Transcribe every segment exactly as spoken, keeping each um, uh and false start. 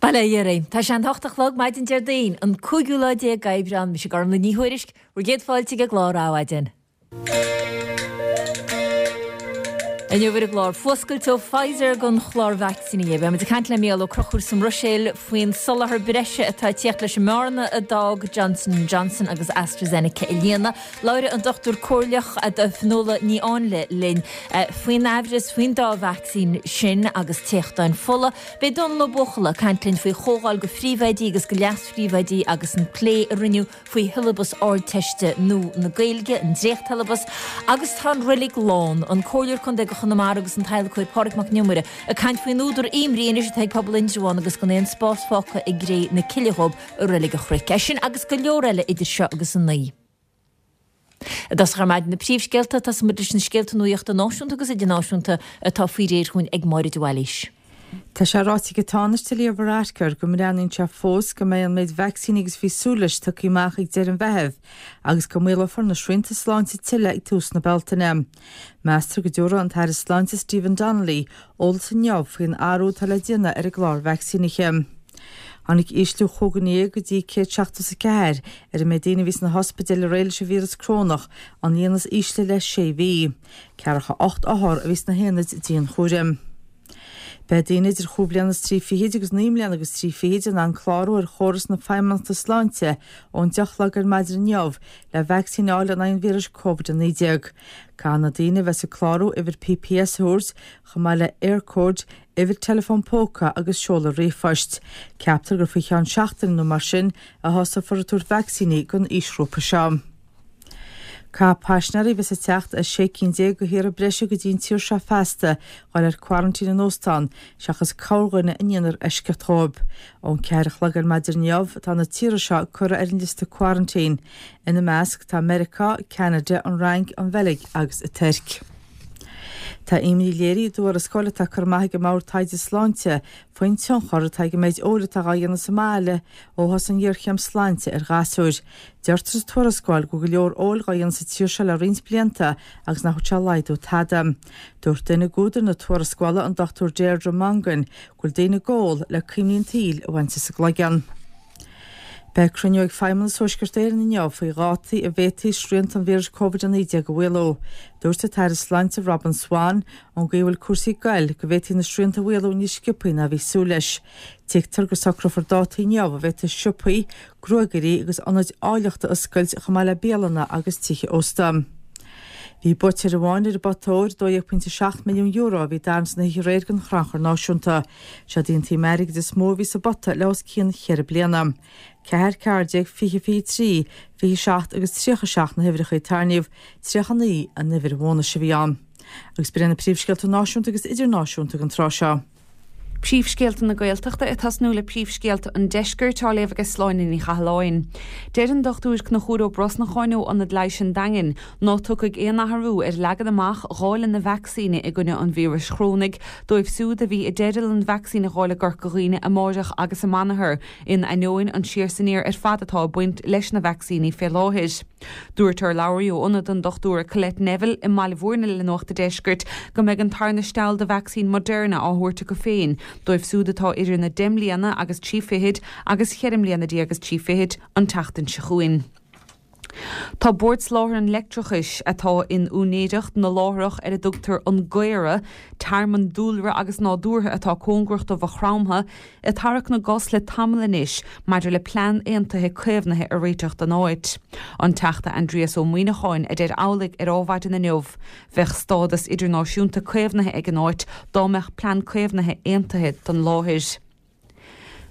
Bail ó Dhia oraibh. Tá sé an hocht a chlog maidin Déardaoin, an cúigiú lá déag d'Aibreán, mise Gormlaith Ní Thuairisg, bhur gcéad fáilte ag an gclár Adhmhaidin. Inniu ar an gclár, fuascailt ó Pfizer don chlár vacsaíní. Beidh muid ag caint le Mícheál Ó Conchúir sa mBruiséil faoin soláthar breise atá ag tíocht leis an mbearna a d'fhág Johnson and Johnson agus AstraZeneca a líonadh. Labhróidh an Dochtúir Comhairleach Fionnuala Ní Áinle linn faoin aimhreas faoin dá vacsaín sin agus téachtáin fola. Beidh Dónal Ó Buachalla ag caint linn faoi chomhdháil do phríomhoidí agus do leas-phríomhoidí agus an plé a rinneadh faoi shiollabas Ardteiste nua na Gaeilge, an dréachtshiolabas, agus tá an reilig lán, an Comhairleoir Contae do Chonamara agus an t-adhlacóir Pádraig Mac Con Iomaire ag caint faoin údar imní anois atá ag pobal Indreabhán agus gan aon spás fágtha i gcré na cille dhóibh i Reilig an Chnoic. É sin agus go leor eile idir seo agus a naoi. I dtosach ar maidin na príomhscéalta, tosóidh muid leis na scéalta nuachta náisiúnta agus idirnáisiúnta atá faoi réir chugainn ag Máire de Bhailís. Tá sé ráite ag an Tánaiste Leo Varadkar go mbreathnaíonn sé fós go mbeidh an méid vacsaíní agus a bhí súil leis tugtha amach ag deireadh an Mheithimh agus go maolófar na srianta sláinte tuilleadh ag tús na Bealtaine. Meastar go dtabharfaidh an tAire Sláinte Stephen Donnelly eolas inniu faoin athrú atá le déanamh ar an gclár vacsaínithe. Tháinig ísliú chúig dhuine dhéag go dtí céad seachtó is a ceathair ar an méid daoine a bhí sna hospidéil aréir leis an víreas corónach, an líon is ísle le sé mhí. Ceathracha ocht othar a bhí sna haonaid dianchúraim. Beidh daoine idir chúig bliana is trí fichid agus naoi mbliana agus trí fichid in ann clárú ar chóras na Feidhmeannachta Sláinte ón deich a chlog ar maidin inniu le vacsaín a fháil in aghaidh an víris Covid a naoi déag. Caithfidh na daoine a bheas ag clárú uimhir P P S a thabhairt, chomh maith le Eircode, uimhir teileafóin póca agus seoladh ríomhphoist. Ceaptar gur faoi cheann seachtaine nó mar sin a thosófar ag tabhairt vacsaíní don aoisghrúpa seo. Caithfidh paisinéirí a bheas ag teacht as sé cinn déag de thíortha breise go dtí an tír seo feasta dhul ar quarantine in óstán, seachas corrdhuine a ndéanfar eisceacht dhóibh. Ón ceathair a chlog ar maidin inniu tá na tíortha seo curtha ar an liosta quarantine. Ina measc tá Meiriceá, Ceanada, an Fhrainc, an Bheilg agus an Tuirc. Tá imní léirithe i dtuarascáil atá curtha amach ag an mBord Taighde Sláinte faoin tionchar atá ag an méid óil atá dhá dhéanamh sa mbaile ó thosaigh an ghéarchéim sláinte ar ghasúir. Deirtear sa tuarascáil go bhfuil go leor óil dhá dhéanamh sa tír seo le roinnt blianta agus nach bhfuil sé ag laghdú tada. Dúirt duine d'údair na tuarascála, an Dochtúir Deirdre Mongan, go bhfuil daoine ag ól le cuimhní an tsaoil a bhaint as a gcloigeann. Beidh cruinniú ag Feidhmeannas Thuaisceart Éireann inniu faoi dhátaí a bhféadfaí srianta an víris Covid a naoi déag a mhaolú. Dúirt an tAire Sláinte Robin Swann ón gcaoi a bhfuil cúrsaí ag goil go bhféadfaí na srianta a mhaolú níos sciobthaí ná a bhí súil leis. Tuigtear go socrófar dátaí inniu a bhféadfaí siopaí, gruagairí agus ionaid áilleachta a oscailt chomh maith le bialanna agus tithe ósta. Bhí buaiteoir amháin ar an bpota óir dó dhéag pointe seacht milliún euro a bhí tarraingt san oíche aréir don Chrannchur Náisiúnta. Seod í an tsuim airgid is mó a bhí sa bpota le os cionn cheithre bliana. Ceathair, ceathair déag, fiche, fiche trí, fiche seacht agus tríocha seacht na huimhreacha a tarraingíodh, tríocha naoi an uimhir bhónais a bhí ann. Agus b'in na príomhscéalta náisiúnta agus idirnáisiúnta don tráth seo. Príomhscéalta na Gaeltachta ag tosnú le príomhscéalta an Deiscirt á léamh ag Sláine Ní Chathalláin. Deir an Dochtúir Conchúr Ó Brosnacháin ó Ionad Leighis an Daingin ná tiocfaidh aon athrú ar leagan amach dháileadh na vacsaíne i gcoinne an víris chorónaigh dóibh siúd a bhí i dteideal an vacsaín a fháil i gCorca Dhuibhne amáireach agus amanathar in ainneoin an siar is aniar ar fad atá ag baint leis na vacsaíní fé láthair. Dúirt urlabhraí ó ionad an dochtúra Colette Neville i mBaile Bhúirne le Nuacht an Deiscirt go mbeidh an tarna steall de vacsaín Moderna á thabhairt acu féin dóibh siúd atá idir na deich mbliana agus trí fichid agus cheithre mbliana déag agus trí fichid an tseachtain seo chugainn. Tá Bord Soláthair an Leictreachais atá in úinéireacht na láithreach ar a dtugtar an Gaora, tearmann dúlra agus nádúrtha atá cóngarach do Mhaigh Chromtha, ag tarrac na gcos le tamall anois maidir le plean aontaithe caomhnaithe a réiteach don áit. An Teachta Aindrias Ó Muimhneacháin a deir amhlaidh ar Adhmhaidin inniu. Bheadh stádas idirnáisiúnta caomhnaithe ag an áit dá mbeadh plean caomhnaithe aontaithe don láthair.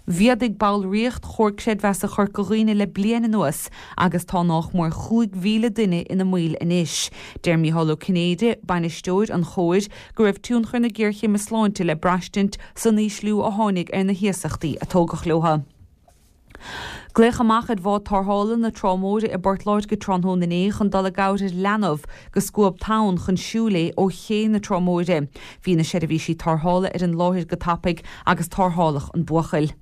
Mhéadaigh ballraíocht Chomhar Creidmheasa Chorca Dhuibhne le bliain anuas agus tá nách mór chúig mhíle duine ina mbaill anois. Deir Mícheál Ó Cinnéide, bainisteoir an chomhair, go raibh tionchar na géarchéime sláinte le braistint san ísliú a tháinig ar na hiasachtaí a tógadh leo. Glaodh amach ar bhád tarrthála na Trá Móire i bPort Láirge tráthnóna inné chun dul i gcabhair ar leanbh go scuab tonn chun siúil é ó ché na Trá Móire. Bhí na seirbhísí tarrthála ar an láthair go tapaidh agus tarrtháladh an buachaill.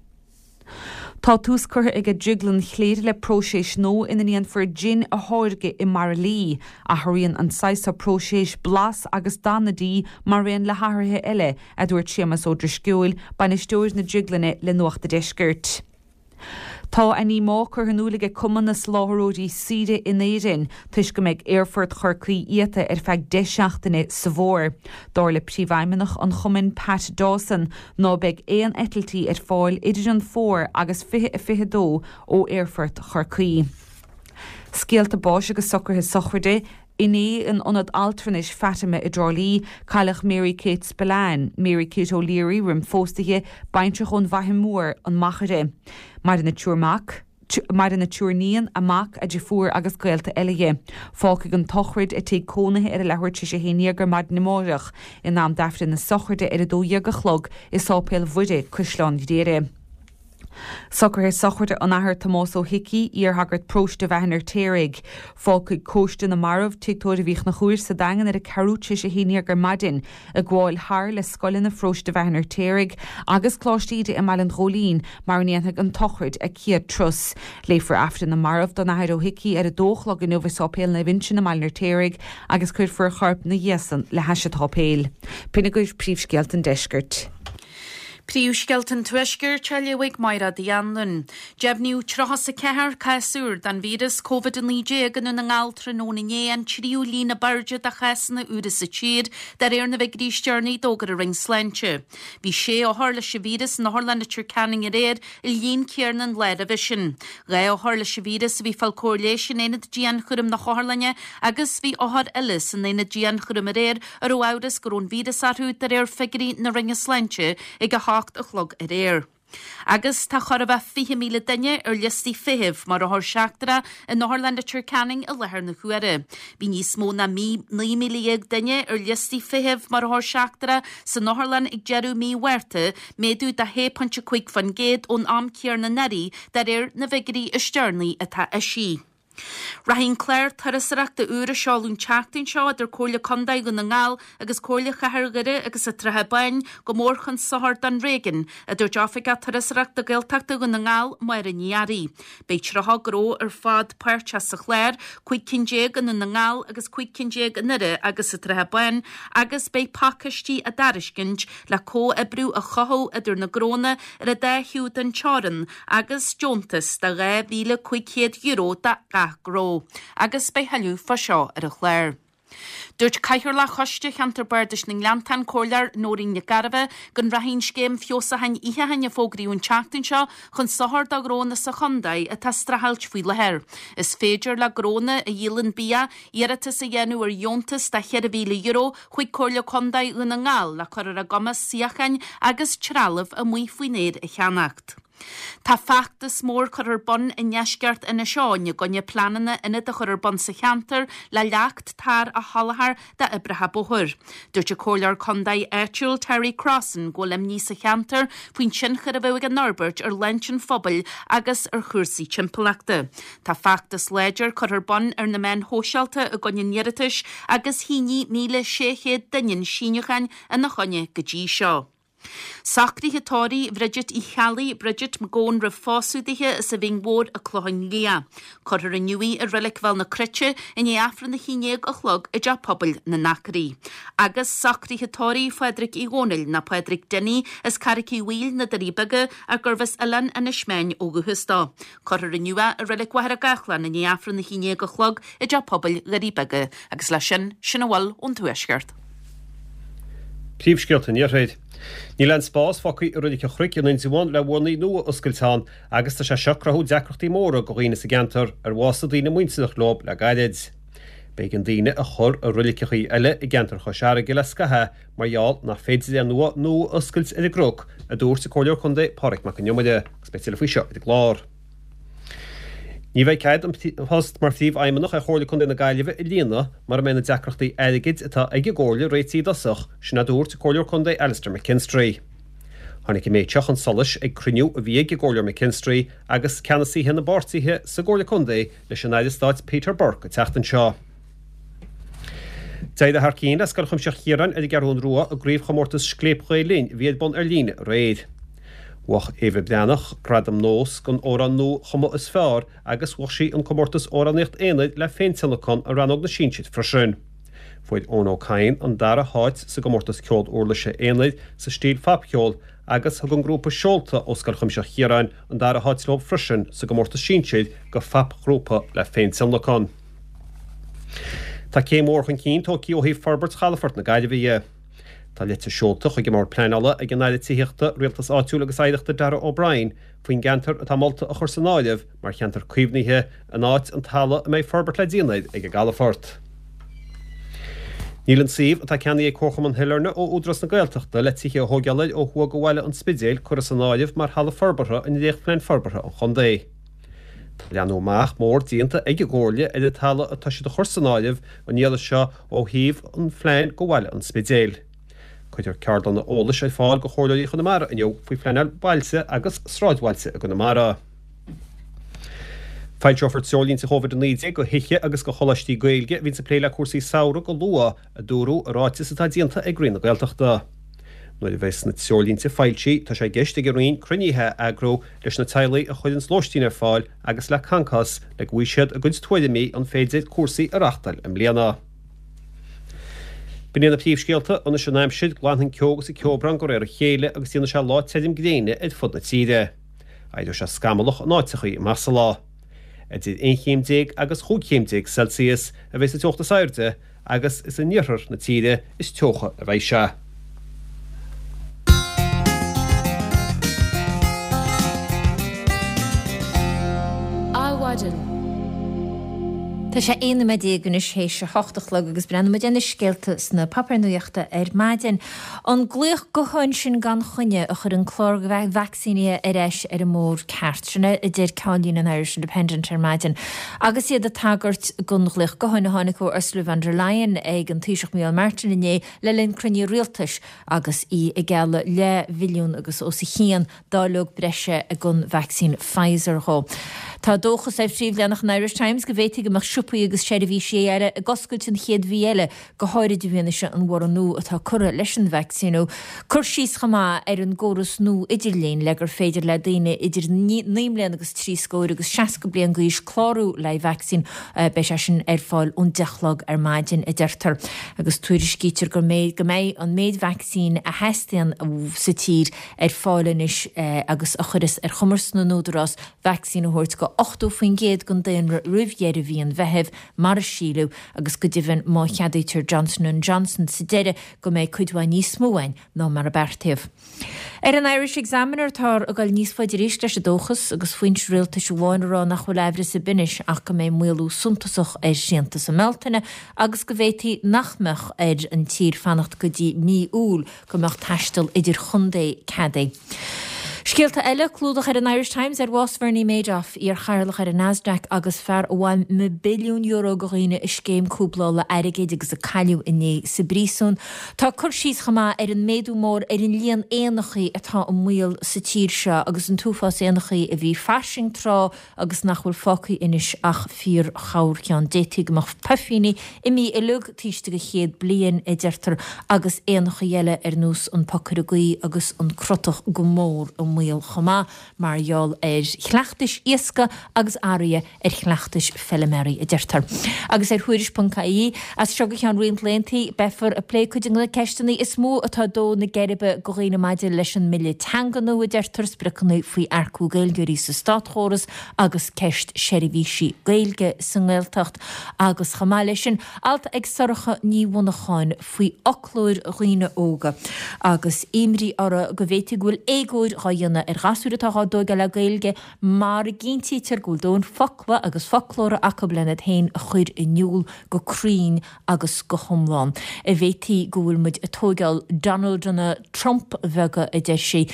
Tá tús curtha ag Drioglann Chléire le próiseas nua ina ndéanfar jin a tháirgeadh i mbairillí. Athraíonn an saghas seo próisis blas agus dath na dí mar aon le hathruithe eile, a dúirt Séamus Ó Drisceoil, bainisteoir na drioglainne le Nuacht an Deiscirt. Tá a ndíomá curtha in iúl ag Cumann na Soláthróirí Saoire in Éirinn toisc go mbeidh Aerfort Chorcaí iata ar feadh deich seachtaine sa bhfómhar. Dar le príomhfheidhmeannach an chumainn Pat Dawson ná beidh aon eitiltí ar fáil idir an fómhar agus fiche a fiche dó ó Aerfort Chorcaí. Scéalta báis agus socruithe sochraide Inné in Ionad Altranais Fatima i dTrá Lí, cailleadh Mary Kate Spillane, Mary Kate O'Leary roim phósadh di, baintreach ón bhFaiche Mhór, an Machaire. Maireann a triúr mac, maireann a triúr níon, a mac, a deirfiúr agus gaolta eile di. Fágfaidh an tsochraid a tigh cónaithe ar a leathuair tar éis a haon déag ar maidin amárach, in am d'Aifreann na sochraide ar a dó dhéag a chlog i Sáipéal Mhuire, Caisleán Ghriaire. Socruithe sochraide an Athar Tomás Ó hIcí, iarshagart paróiste Bheatha an Fheirtéaraigh. Fágfaidh Cóiste na Marbh Tigh Tórraimh Uí Chonchúir sa Daingean ar a ceathrú tar éis a haon déag ar maidin, ag gabháil thar le scoileanna pharóiste Bheatha an Fheirtéaraigh agus Coláiste Íde i mBaile an Ghóilín mar a ndéanfaidh an tsochraid a céad turas. Léifear Aifreann na Marbh don Athair Ó hIcí ar a dó a chlog inniu i Sáipéal Naomh Uinseann i mBaile an Fheirtéaraigh agus cuirfear a chorp ina dhiaidh san le hais an tsáipéil. B'in agaibh príomhscéalta an deiscirt. Príomhscéalta an Tuaiscirt á léamh ag Máire Uí Anluain. Deimhníodh tríocha is a ceathair cás úr den víreas Covid a naoi déag i nDún na nGall tráthnóna inné, an tríú líon ab airde de chásanna úra sa tír, de réir na bhfigiúirí is deireanaí a d'fhógair an Roinn Sláinte. Bhí sé othar leis an víreas in Otharlann Leitir Ceanainn aréir, an líon céanna an lá roimhe sin. Dhá othar leis an víreas a bhí ag fáil cóir leighis in aonad dianchúraim na hotharlainne agus bhí othar eile san aonad dianchúraim aréir a raibh amhras go raibh an víreas orthu de réir figiúirí na Roinne Sláinte ag a hocht a chlog aréir. Agus tá chóir a bheith fiche míle duine ar liostaí feithimh mar othar seachtrach in Otharlann Leitir Ceanainn i láthair na huaire. Bhí níos mó ná naoi míle dhéag duine ar liostaí feithimh mar othar seachtrach san otharlann ag deireadh mí Mhárta, méadú de shé pointe cúig faoin gcéad ón am céanna anuraidh de réir na bhfigiúirí is deireanaí atá eisithe. Rachaidh an clár turasóireachta úr a seoladh an tseachtain seo idir Comhairle Contae Dhún na nGall agus Comhairle Chathair Dhoire agus an tSratha Báin go mór chun sochair don réigiún, a dúirt Oifigeach Turasóireachta Gaeltachta Dhún na nGall, Máire Ní Fhearraigh. Beidh tríocha gnó ar fad páirteach sa chlár, cúig cinn déag i nDún na nGall agus cúig cinn déag i nDoire agus sa tSratha Báin, agus beidh pacáistí á dtairiscint le comhoibriú a chothú idir na gnónna ar an dá thaobh den teorainn agus deontas de dhá mhíle cúig chéad euro do gach gnó. Agus beidh thuilleadh fá seo ar an chlár. Dúirt Cathaoirleach Choiste Cheantar Bardais na nGleanntán, Comhairleoir Nóirín Nic Gairbheith, go rachaidh an scéim feabhsúcháin itheacháin a fógraíodh an tseachtain seo chun sochair do ghnónna sa chontae atá ag streachailt faoi láthair. Is féidir le gnónna a dhíolann bia iarratas a dhéanamh ar dheontas de cheithre mhíle euro chuig Comhairle Contae Dhún na nGall le cur ar a gcumas suíocháin agus trealamh amuigh faoin aer a cheannacht. Tá feachtas mór curtha ar bun i ndeisceart Inis Eoghain i gcoinne pleananna ionad a chur ar bun sa cheantar le leacht tar a sholáthar d'oibrithe bóthair. Dúirt an Comhairleoir Contae áitiúil Terry Crossan go bhfuil imní sa cheantar faoin tionchar a bheadh ag an fhorbairt ar shláinte an phobail agus ar chúrsaí timpeallachta. Tá feachtas láidir curtha ar bun ar na meáin shóisialta i gcoinne an iarratais agus shínigh míle sé chéad duine síniúcháin ina choinne go dtí seo. Socruithe tórraimh Bhridget Uí Cheallaigh, Bridget McGowan roimh phósadh dithe as an Bhinn Mhór an Clochán Liath. Cuirfear inniu í i Reilig Bhéal na Cruite i ndiaidh Aifreann a haon déag a chlog i dTeach Pobail na nAcraí. Agus socruithe tórraimh Phádraig Uí Dhónaill nó Pádraig Dinny as Carraic Uí Bhaoill, na Doirí Beaga, ach gurbh as Oileán Inis Meáin ó dhúchas dó. Cuirfear inniu é i Reilig Mhachaire Gathlán i ndiaidh Aifreann a haon déag a chlog i dTeach Pobail Dhoirí Beaga. Agus leis sin, sin a bhfuil ón Tuaisceart. Príomhscéalta an Iarthair. Níl aon spás fágtha i Reilig an Chnoic in Indreabhán le urnaí nua a oscailt ann agus tá sé seo ag cruthú deacrachtaí móra do dhaoine sa gceantar ar bhásaigh daoine muinteartha leo le gairid. B'éigean daoine a chur i reiligeachaí eile i gceantar Chois Fharraige le scaitheamh mar gheall nach féidir aon uaigh nua a oscailt ar an gcnoc, a dúirt an Comhairleoir Contae Pádraig Mac Con Iomaire, agus beidh tuilleadh faoi seo ar an gclár. Ní bheidh cead an post mar Phríomhfheidhmeannach ar Chomhairle Contae na Gaillimhe a líonadh mura mbeidh na deacrachtaí airgid atá ag an gComhairle réitithe i dtosach, sin a dúirt an Comhairleoir Contae Alastair McKinstry. Tháinig an méid seo chun solais ag cruinniú a bhí ag an gComhairleoir McKinstry agus ceannasaithe na bpáirtithe sa gComhairle Contae leis an Aire Stáit Peter Burke an tseachtain seo. D'éirigh thar cionn le Scoil Chuimsitheach Chiaráin ar an gCeathrú Rua i gcraobhchomórtas Scléip Ghael Linn a bhí ar bun ar líne aréir. Bhuaigh Éabha Breathnach gradam Nós don amhrán nua-chumtha is fearr agus bhuaigh sí an comórtas amhránaíocht aonair le féintionlacan i rannóg na sinsir freisin. Fuair Eoin Ó Cadhain an dara háit sa gcomórtas ceol uirlise aonair sa stíl phopcheol agus thug an grúpa Seolta ó Scoil Chuimsitheach Chiaráin an dara háit leo freisin sa gcomórtas sinsir go phopghrúpa le féintionlacan. Tá céim mhór chun cinn tógtha ó thaobh forbairt chalafort na Gaillimhe dhe. Tá litir seolta chuig an mBord Pleanála ag an Aire Tithíochta, Rialtais Áitiúil agus Oidhreachta Darragh O'Brien faoin gceantar atá molta a chur san áireamh mar cheantar caomhnaithe in áit an talamh a mbeidh forbairt le déanamh air ag an gcalafort. Níl an suíomh atá ceannaithe ag Comharchumann Shailearna ó Údarás na Gaeltachta le tithe a thógáil air ó thuaidh de bhaile an Spidéil curtha san áireamh mar thalamh forbartha i ndréachtphlean forbartha an chontae. Tá leathnú amach mór déanta ag an gComhairle ar an talamh atá siad a chur san áireamh an iarraidh seo ó thaobh an phlean do bhaile an Spidéil. Cuirfear ceardlanna eolais ar fáil do Chomhairleoirí Chonamara inniu faoi phleanáil bailte agus sráidbhailte i gConamara. Foilseofar treoirlínte Covid a naoi déag do thithe agus do choláistí Gaeilge a bhíonns ag plé le cúrsaí samhraidh go luath, a dúradh i ráiteas atá déanta ag Roinn na Gaeltachta. Nuair a bheas na treoirlínte foilsithe, tá sé i gceist ag an Roinn cruinnithe a eagrú leis na teaghlaigh a chuireanns lóistín ar fáil agus le Concos le go bhfaighidh siad a gcuid tuairimí an féidir cúrsaí a reachtáil i mbliana. B'in iad na príomhscéalta, anois an aimsir, glanfaidh an ceo agus an ceobhrán de réir a chéile agus déanfaidh sé lá tirim gréine ar fud na tíre. Éireoidh sé scamallach in áiteachaí amach sa lá. Idir aon chéim déag agus chúig chéim déag Celsius a bheidh sa teocht is airde agus is in iarthar na tíre is teocha a bheidh sé. Adhmhaidin. Tá sé aon nóiméad déag anois théis a hocht a chlog agus breathnóidh muid ar na scéalta sna páipéir nuachta ar maidin. An glaoch gutháin sin gan choinne a chuir an clár vacsaínithe ar ais ar an mbóthar ceart. Sin é a deir ceannlíne an Irish Independent ar maidin. Agus iad ag tagairt don ghlaoch gutháin a tháinig ó Ursula von der Leyen ag an Taoiseach Micheál Martin inné le linn cruinniú rialtais agus í ag gealladh leathbhilliún agus os a chionn dáileog breise den vacsaín Pfizer dhó. Tá dóchas ar phríomhleathanach an Irish Times go bhféadfaidh go mbeadh siopaí agus seirbhísí eile ag oscailt an chéad mhí eile, go háirid i bhfianaise an bhorradh nua atá curtha leis an vacsaíniú. Cur síos chomh maith ar an gcóras nua idirlín le gur féidir le daoine idir naoi mbliana agus trí scór agus seasca bliain d'aois clárú le vacsaín. Beidh sé sin ar fáil ón deich a chlog ar maidin, a deirtear. Agus tuairiscítear go mbeidh an méid vacsaín a theastaíonn sa tír ar fáil anois agus a chuirfeas ar chumas na n-údarás vacsaín a thabhairt go ochtó faoin gcéad den daonra roimh dheireadh mhí an Mheithimh, mar a síleadh, agus go deimhin má cheadaítear Johnson and Johnson sa deireadh go mbeidh cuid mhaith níos mó ann ná mar a beartaíodh. Ar an Irish Examiner táthar ag dul níos faide arís leis an dóchas agus foinse rialtais amháin ag rá nach bhfuil aimhreas ar bith anois ach go mbeidh maolú suntasach ar shrianta sa mBealtaine agus go bhféadfaí nach mbeadh ar an tír fanacht go dtí mí Iúil go mbeadh taisteal idir-chontae ceadaithe. Scéalta eile, clúdach ar an Irish Times ar bhás Bhernie Madoff, iar-chathaoirleach ar an Nasdaq agus fear a bhain na billiúin euro de dhaoine i scéim cúblála airgid agus a cailleadh inné sa bpríosún. Tá cur síos chomh maith ar an méadú mór ar an líon éanachaí atá i mbaol sa tír seo agus an t-uafás éanachaí a bhí fairsing tráth agus nach bhfuil fágtha anois ach fíor-chorrcheann. D'fhéadfaí go mbeadh puifíní imithe uilig taobh istigh de chéad bliain, a deirtear, agus éanachaí eile ar nós an pocaire gaoithe agus an crotach go mór i mbaol chomh maith mar gheall ar chleachtais iascaigh agus athruithe ar chleachtais feiliméaraí, a deirtear. Agus ar Thuairisc ponc ie, as seo go ceann roinnt laethanta, beifear ag plé cuid de na ceisteanna is mó atá ag dó na geirbe do dhaoine maidir leis an mBille Teanga nua, a deirtear, spriocanna faoi earcú Gaeilgeoirí sa státchóras agus ceist seirbhísí Gaeilge sa nGaeltacht agus chomh maith leis sin, alt ag Sorcha Ní Mhonacháin faoi fhoclóir dhaoine óga agus imní orthu go bhféadfaí go bhfuil éagóir dhá dhéanamh ar ghasúir atá dhá dtóigeáil le Gaeilge mara gcinntítear go bhfuil dóthain focla agus foclóra acu lena iad féin a chur in iúl go cruinn agus go hiomlán. Bhféadfaí go bhfuil muid ag tóigeáil Donaldanna Trump bheaga, a deir sí,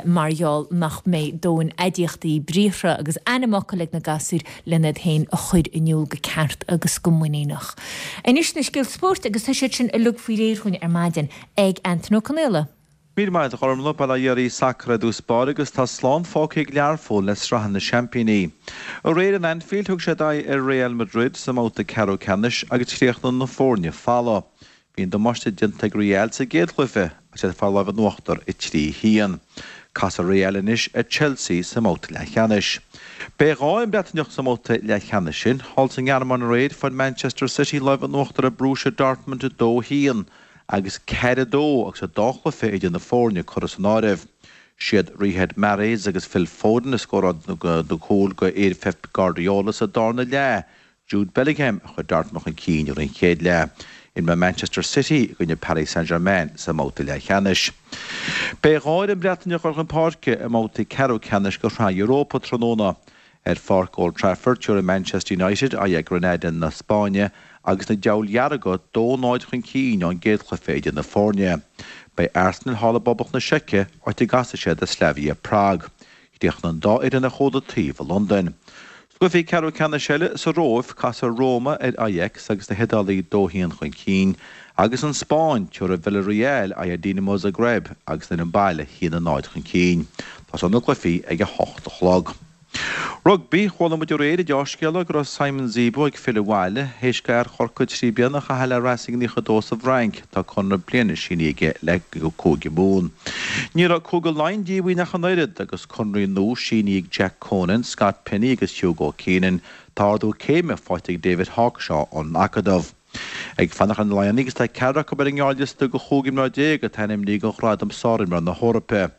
mar gheall nach mbeidh dóthain aidiachtaí, briathra agus ainmfhocail ag na gasúir lena iad féin a chur in iúl go ceart agus go muiníneach. Anois na scéalta spóirt agus tá siad sin uilig faoi réir dhúinn ar maidin ag Antain Ó Conaola. Míle maith agat a Ghormfhlaith, Bail ó Dhia oraibh, Sacar i dtús báire agus tá slán fágtha ag Learpholl le sraith na seaimpíní. Aréir in Anfield thug siad aghaidh ar Real Madrid sa mbabhta ceathrú ceannais agus chríochnaigh na foirne folamh. Bhí an damáiste déanta ag Real sa gcéad chluiche agus iad ag fáil lámh in uachtar a trí a haon. Casfaidh Real anois ar Chelsea sa mbabhta leathcheannais. Beidh dhá fhoireann Breataineach sa mbabhta leathcheannais sin. Thall sa nGearmáin aréir fuair Manchester City lámh in uachtar ar Borussia Dortmund a dó a haon agus ceathair a dó agus an dá chluiche idir na foirne curtha san áireamh. Siad Riyad Mahrez agus Phil Foden a scóráil na cúil do fhir Pep Guardiola sa darna leath. Jude Bellingham a chuir Dortmund chun cinn ar an chéad leath. Imreoidh Manchester City i gcoinne Paris Saint-Germain sa mbabhta leathcheannais. Beidh dhá fhoireann Breataineach ag dul chun páirce i mbabhta ceathrú ceannais de Shraith Europa tráthnóna. Ar pháirc Old Trafford, tabharfaidh Manchester United aghaidh ar Granada na Spáinne agus na Diabhail Dhearga dó náid chun cinn ón gcéad chluiche idir na foirne. Beidh Arsenal thall i bPoblacht na Seice, áit a gcasfaidh siad ar Slavia Prague. Chríochnaigh an dá fhoireann ar chomh taobh i Londain. Sna cluichí ceathrú ceannais eile sa Róimh, casfaidh Roma ar Ajax agus na hIodálaigh dó haon chun cinn, agus an Spáinn, tabharfaidh Villarreal aghaidh ar Dinamo Zagreb agus an fhoireann baile haon a náid chun cinn. Tosóidh na cluichí ag a hocht a chlog. Rugbaí, Chuala muid aréir an dea-scéala go raibh Simon Zebo ag filleadh abhaile, théis do fhear Chorcaí trí bliana a chaitheamh le Racing naocha a dó sa bhFrainc. Tá conradh bliana sínithe aige le Cúige Mumhan. Ní raibh Cúige Laighean díomhaoin ach an oiread agus conraí nua sínithe ag Jack Conan, Scott Penny agus Hugo Keenan. Tá ardú céime faighte ag David Hawkshaw ón Acadamh. Ag fanacht ar na Laigheanaigh agus tá ceathrar acu ar an ngearrliosta de chúig imreoir déag atá ainmnithe do ghradam Sárimreoir na hEorpa.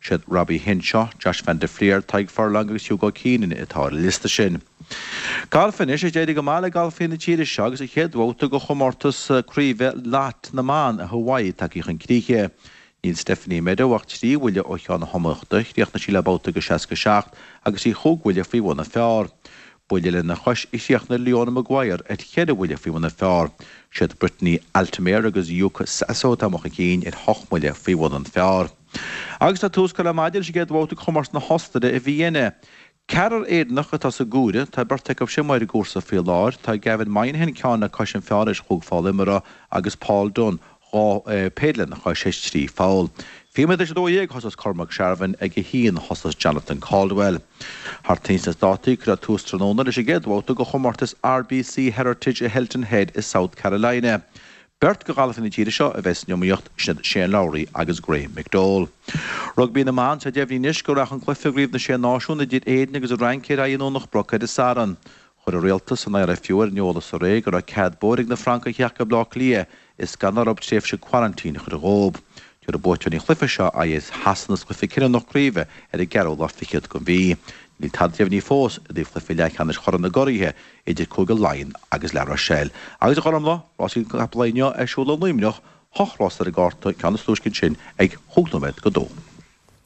Siad Robbie Henshaw, Josh van der Flier, Tadhg Furlong agus Hugo Keenan atá ar an liosta sin. Galf anois, ag éirí go maith le galfaithe na tíre seo agus an chéad bhabhta de chomórtas craoibhe LOT na mban i Hawaii tagtha chun críche. Níl Stephanie Meadow ach trí bhuille ó cheann na hiomaíochta, chríochnaigh sí le babhta de seasca seacht agus í chúig bhuille faoi bhun an phar. Buille lena chois a chríochnaigh Leona Maguire ar cheithre bhuille faoi bhun an phar. Siad Brittany Altomare agus Yuka Saso atá amuigh chun cinn ar hocht mbuille faoi bhun an phar. Agus tá tús curtha le maidin leis an gcéad bhabhta de chomórtas na hOstaire i Vienna. Ceathrar Éireannach atá sa gcomhaireamh, tá beirt acu sin amuigh ar an gcúrsa faoi láthair, tá Gavin Moynihan ceann le cois an phar théis chúig pholl imeartha agus Paul Dunne dhá péire lena chois théis trí pholl. Fiche nóiméad théis a dó dhéag a thosós Cormac Sharvin, ag a haon a thosós Jonathan Caldwell. Thart ins na Státaí cuireadh tús tráthnóna leis an gcéad bhabhta de chomórtas RBC Heritage i Hilton Head i South Carolina. Beirt de ghalfaithe na tíre seo a bheidh san iomaíocht, sin iad Shane Lowry agus Graeme McDowell. Rugbaí na mBan, Tá deimhnithe anois go rachaidh an cluiche i gCraobh na Sé Náisiún idir Éirinn agus an Fhrainc ar aghaidh i nDomhnach Broc ar an Satharn. Chuir an Rialtas an IRFU ar an eolas aréir go raibh cead bóthair ag na Francaigh theacht go Baile Átha Cliath is gan orthu tréimhse quarantine a chur dhóibh. Tabharfaidh buaiteoirí an chluiche seo aghaidh ar Shasana sa chluiche cinniúnach craoibhe ar an gceathrú lá fichead den mhí. Níl tada deimhnithe fós i dtaobh chluiche leathcheannais Chorn na gCuraithe idir Cúige Laighean agus La Rochelle. Agus a Ghormfhlaith, rásaí na gcapall inniu ar siúl i Luimneach, hocht rás ar an gcárta, ceann is túisce ansin ag chúig nóiméad go dó.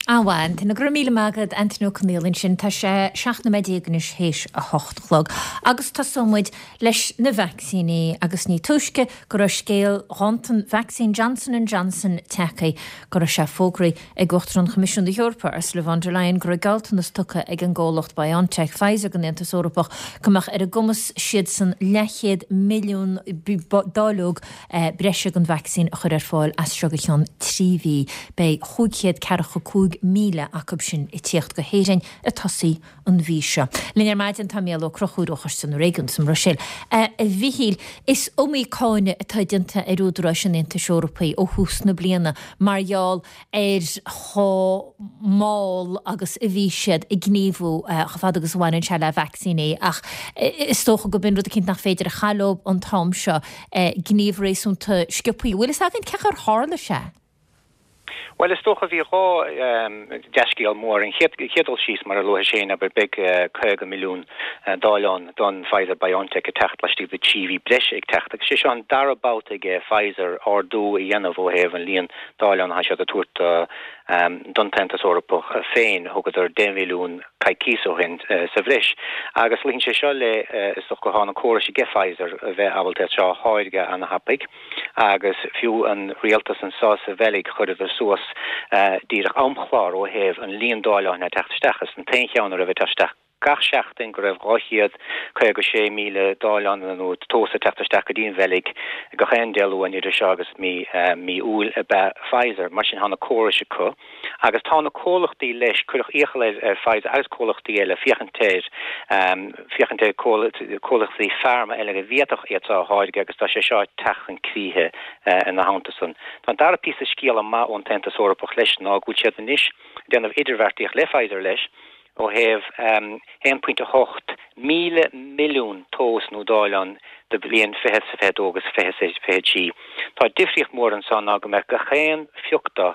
An-mhaith, Antaine. Go raibh míle maith agat, Antaine Ó Conghaile ansin. Tá sé seacht nóiméad déag anois théis a hocht a chlog. Agus tosóidh muid leis na vacsaíní agus ní túisce go raibh scéal ghanntan vacsaín Johnson and Johnson tagtha go raibh sé fógraithe ag Uachtarán Choimisiún na hEorpa, Ursula von der Leyen, go raibh gealltanas tugtha ag an gcomhlacht BioNTech Pfizer don Aontas Eorpach go mbeadh ar a gcumas siadsan leathchéad milliún dáileog breise den vacsaín a chur ar fáil as seo go ceann trí mhí. Beidh chúig chéad ceathracha cúig míle acu sin ag tíocht go hÉirinn ag tosaí an mhí seo. Linn ar maidin tá Mícheál Ó Conchúir ó Choiste na Réigiún sa mBruiséil. A Mhichíl, is iomaí cáineadh atá déanta ar údaráis an Aontais Eorpaigh ó thús na bliana mar gheall ar chomh mall agus a bhí siad ag gníomhú chomh fada agus a bhaineann sé le vacsaíní ach is dócha go b'in rud eicínt nach féidir a chailleadh leo an t-am seo, gníomh réasúnta sciobthaí. Bhfuil fhios againn cén chaoi ar tharla sé? Bhuel, is dócha, bhí dhá dea-scéal mór. An chéad dul síos, mar a luaigh Shane, abair, beidh caoga milliún dáileán don Pfizer-BioNTech ag teacht laistigh de trí mhí breise ag teacht. Agus sé seo an dara babhta aige Pfizer ardú a dhéanamh ó thaobh an líon dáileán atá siad ag tabhairt don tAontas Eorpach féin. Thugadar deich mhilliún coicís ó shin sa bhreis. Agus luíonn sé seo le, is dócha, go tá na córais aige Pfizer a bheith ábalta é seo a tháirgeadh ana-thapaidh. Agus fiú an rialtas anso sa Bheilg chuireadar suas díreach amchlár ó thaobh an líon dáileáin ag teacht isteach. Is an t-aon cheann a raibh ag teacht isteach gach seachtain go raibh dhá chéad caoga sé míle dáileán nó dós ag teacht isteach go dtí an Bheilg gach aon Dé Luain idir seo agus mí mí Iúil ab ea Pfizer. Mar sin tá na córais acu agus tá na comhlachtaí leis, cuireadh iachall ar ar Pfizer agus comhlachtaí eile féachaint ar féachaint ar comhlachtaí pharma eile a bhféadfadh iad seo a tháirgeadh agus tá sé seo ag teacht chun críche ina theannta san. Tá an dara píosa scéala maith ón tAontas Eorpach leis ná go bhfuil siad anois ag déanamh idirbheartaíocht le Pfizer leis ó thaobh aon pointe a hocht míle milliún dós nó dáileán do bhliain fiche is fiche dó agus fiche is fiche trí. Tá difríocht mhór anso ná go mbeadh gach aon phioc de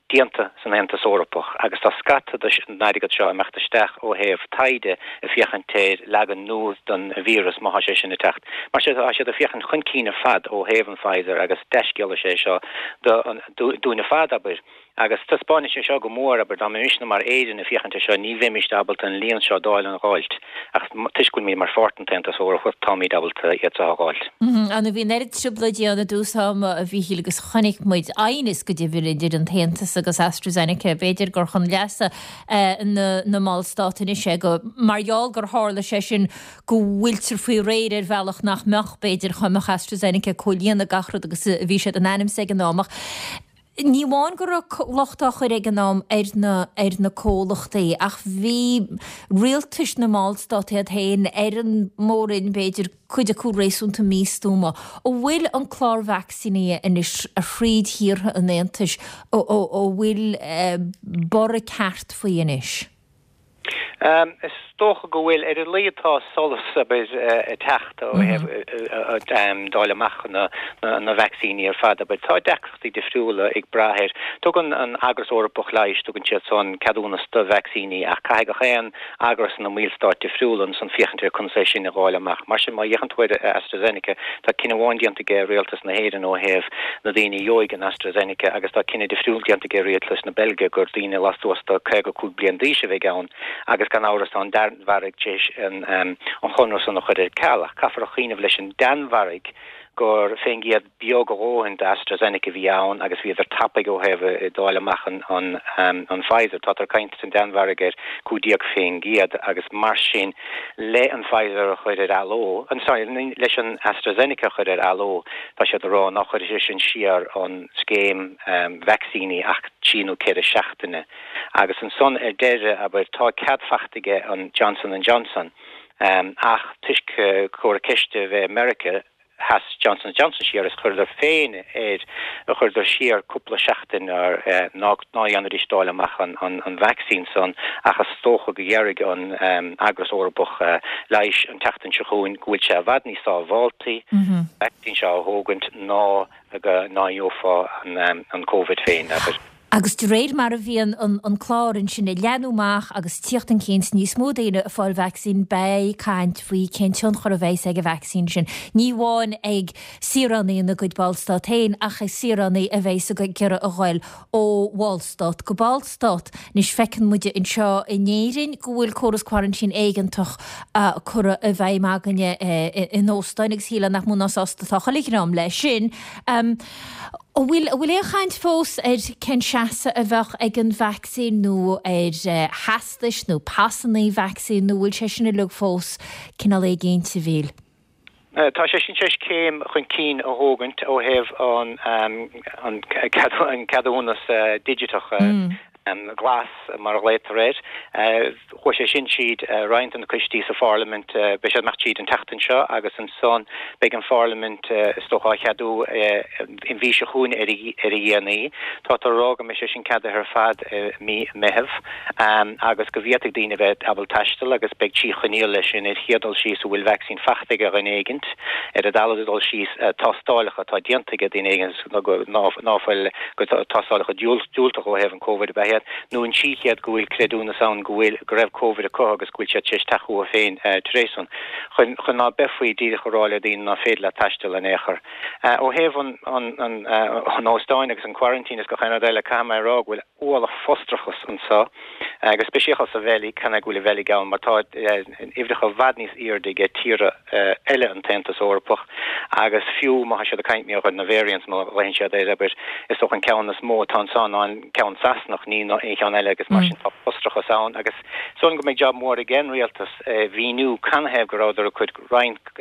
déanta san Aontas Eorpach agus tá scata den airgead seo ag imeacht isteach ó thaobh taighde ag féachaint ar leagan nua den víreas má tá sé sin ag teacht. Mar sin tá siad ag féachaint chun cinn ar fad ó thaobh an Pfizer agus dea-scéala is ea é seo dúinn ar fad, abair. Agus taispeánann sé seo go mór, abair, dá mbeimisne mar Éirinn ag féachaint air seo, ní bheimis ábalta an líon seo dáileán a dh'fháilt, ach toisc go bhfuilimid mar pháirt den tAontas Eorpach, táimid ábalta iad seo a dh'fháilt. Á bhí an oiread trioblóidí ann i dtús ama, a Mhíchíl, agus chonaic muid aighneas go deimhin idir an tAontas agus AstraZeneca. B'fhéidir gur chun leasa na na mballstát anois é go, mar gheall gur tharla sé sin, go bhfuiltear faoi réir ar bhealach nach mbeadh, b'fhéidir, dá mbeadh AstraZeneca ag comhlíonadh gach rud agus a bhí siad in ainm is ag an am. Ach ní amháin go raibh locht á chur ag an am ar na ar na comhlachtaí ach bhí rialtais na mballstát iad féin ar an mór-roinn, b'fhéidir, cuid acu réasúnta místuama. An bhfuil an clár vacsaíní anois thríd thíortha an Aontais, an bhfuil borradh ceart faoi anois? Is dócha go bhfuil. Ar a laghad tá solas abair ag teacht ó thaobh dáileadh amach na vacsaíní ar fad abair. Tá deacrachtaí difriúla ag brath air. Tugann an Eagras Eorpach Leighis, tugann siad san ceadúnas do vacsaíní ach caithfidh gach aon eagras ina mballstáit difriúla ansan féachaint ar conas é sin a dháileadh amach. Mar sin má fhéachann tú ar AstraZeneca, tá cinneadh amháin déanta aige Rialtas na hÉireann ó thaobh na daoine a gheobhaidh an AstraZeneca agus tá cinneadh difriúil déanta aige Rialtas na Beilge gur daoine lastuas de caoga cúig bliain d'aois a bheidh ann agus gan amhras tá an Danmhairg tar éis an chonradh san a chur ar ceal ach caithfear a chuimhneamh leis an Danmhairg gur fén gcéad beag a dhóthain d'AstraZeneca a bhí ann agus bhíodar tapaidh ó thaobh dáileadh amach an Pfizer. Táthar ag caint san Danmhairg ar cúig déag fén gcéad agus mar sin le an Pfizer a chur ar athló, sorry, leis an AstraZeneca a chur ar athló, tá siad ag rá ná chuirfidh sé sin siar an scéim vacsaíní ach trí nó ceithre seachtaine. Agus ansan ar deireadh, abair, tá cead fachta aige an Johnson and Johnson ach toisc comhrac ceiste a bheith i Meiriceá, sheas Johnson and Johnson siar is chuireadar féin air, chuireadar siar cúpla seachtain ar ná ná dhéanfaidís dáileadh amach an an vacsaín san ach is dócha go ndéarfaidh an Eagras Eorpach Leighis an tseachtain seo chugainn go bhfuil sé i bhfad níos sábháltaí an vacsaín seo a thógaint ná go ná gheofá an Covid féin, abair. Agus de réir mar a bhíonn an clár ansin ag leathnú amach agus tíocht chun cinn is níos mó daoine ag fáil vacsaín, beidh caint faoi cén tionchar a bheas ag an vacsaín sin, ní amháin ag saoránaigh ina gcuid ballstát féin ach ag saoránaigh a bheas ag iarraidh a ghoil ó bhallstát go ballstát. Anois feiceann muide anseo in Éirinn go bhfuil córas quarantine éigeantach curtha i bhfeidhm againne in óstáin agus shílfeá nach mó ná sásta atá chuile dhream leis sin. An bhfuil, an bhfuil aon chaint fós ar cén seasamh a bheadh ag an vacsaín nó ar theastais nó pasanna vacsaín nó bhfuil sé sin uilig fós cineál éiginnte, a Mhíchíl? Tá sé sin tar éis céim chun cinn a thógaint ó thaobh an, an ceadúnas digiteach. glas, mar a ghlaotar air. Chuaigh sé sin tríd roinnt de na coistí sa Pharlaimint, beidh sé ag imeacht tríd an tseachtain seo agus ansan beidh an Pharlaimint is dócha á cheadú an mhí seo chugainn ar a dhéanaí. Táthar a rá go mbeidh sé sin ceadaithe ar fad i mí Meitheamh agus go bhféadfaidh daoine a bheith ábalta taisteal agus beidh trí choinníoll leis sin, ar chéad dul síos an bhfuil vacsaín fachta ag dhuine éigint, ar an dara dul síos tástálacha atá déanta ag duine éigint ná fuil go tástálacha diúltach ó thaobh an Covid ab ea iad, nó an trí chéad go bhfuil creidiúnas ann go bhfuil, go raibh Covid acu agus go bhfuil siad tar éis teacht uathu féin tar éis san. Chun, chun ná beifí díreach a rá le daoine ná féidir leat taisteal in aon chor. Ó thaobh an, an, an, an óstáin agus an quarantine is gach aon rud eile, caithfidh mé a rá go bhfuil ualach frustrachas anso, go speisialta sa Bheilg, chan é go bhfuil an Bheilg ann mar tá uimhreacha i bhfad níos airde aige tíortha eile an tAontas Eorpach agus fiú má tá siad ag caint mar gheall ar na variants mar a ghlaonn siad air, abair, is dócha an ceann is mó atá anso ná an ceann Sasanach, ní aon cheann eile agus mar sin tá frustrachas ann agus is dóigh liom go mbeidh jab mór ag an rialtas mhíniú canathaobh go rabhadar ag cur roinnt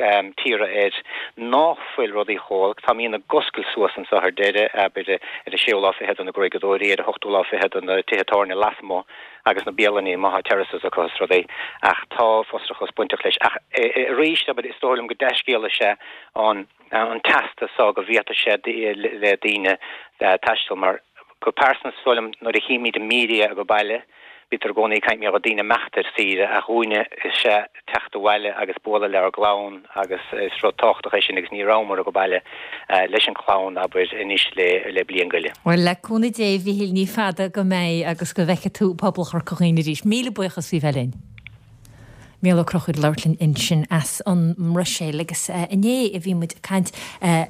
tíortha air ná fuil rudaí chomh holc. Táimid ag oscailt suas anseo ar deireadh, abair, ar an séú lá fichead do na gruaigeadóirí, ar an ochtú lá fichead do na tithe tábhairne lasmuigh agus na bialanna má tá terraces acu is rudaí ach tá frustrachas bainteach leis. Ach arís, abair, is dóigh liom go dea-scéal is ea an an teastas so go bhféadfadh sé le daoine taisteal mar go pearsanta is dóigh liom nuair a chímid an media ag baile bítear i gcónaí ag caint mar gheall ar daoine imeacht ar saoire ach dhúinne is ea teacht abhaile agus bualadh lenár gclann agus is rud tábhachtach é sin agus ní rabhamar ag baile leis an chlann abair anois le le bliain go leith. Bhuel le cúnamh Dé a Mhíchíl ní fada go mbeidh agus go bhfeicfidh tú pobal Chorca Dhuibhne arís. Míle buíochas faoi bheith linn. Mícheál Ó Conchúir ag labhairt linn ansin as an mBruiséil agus inné a bhí muid ag caint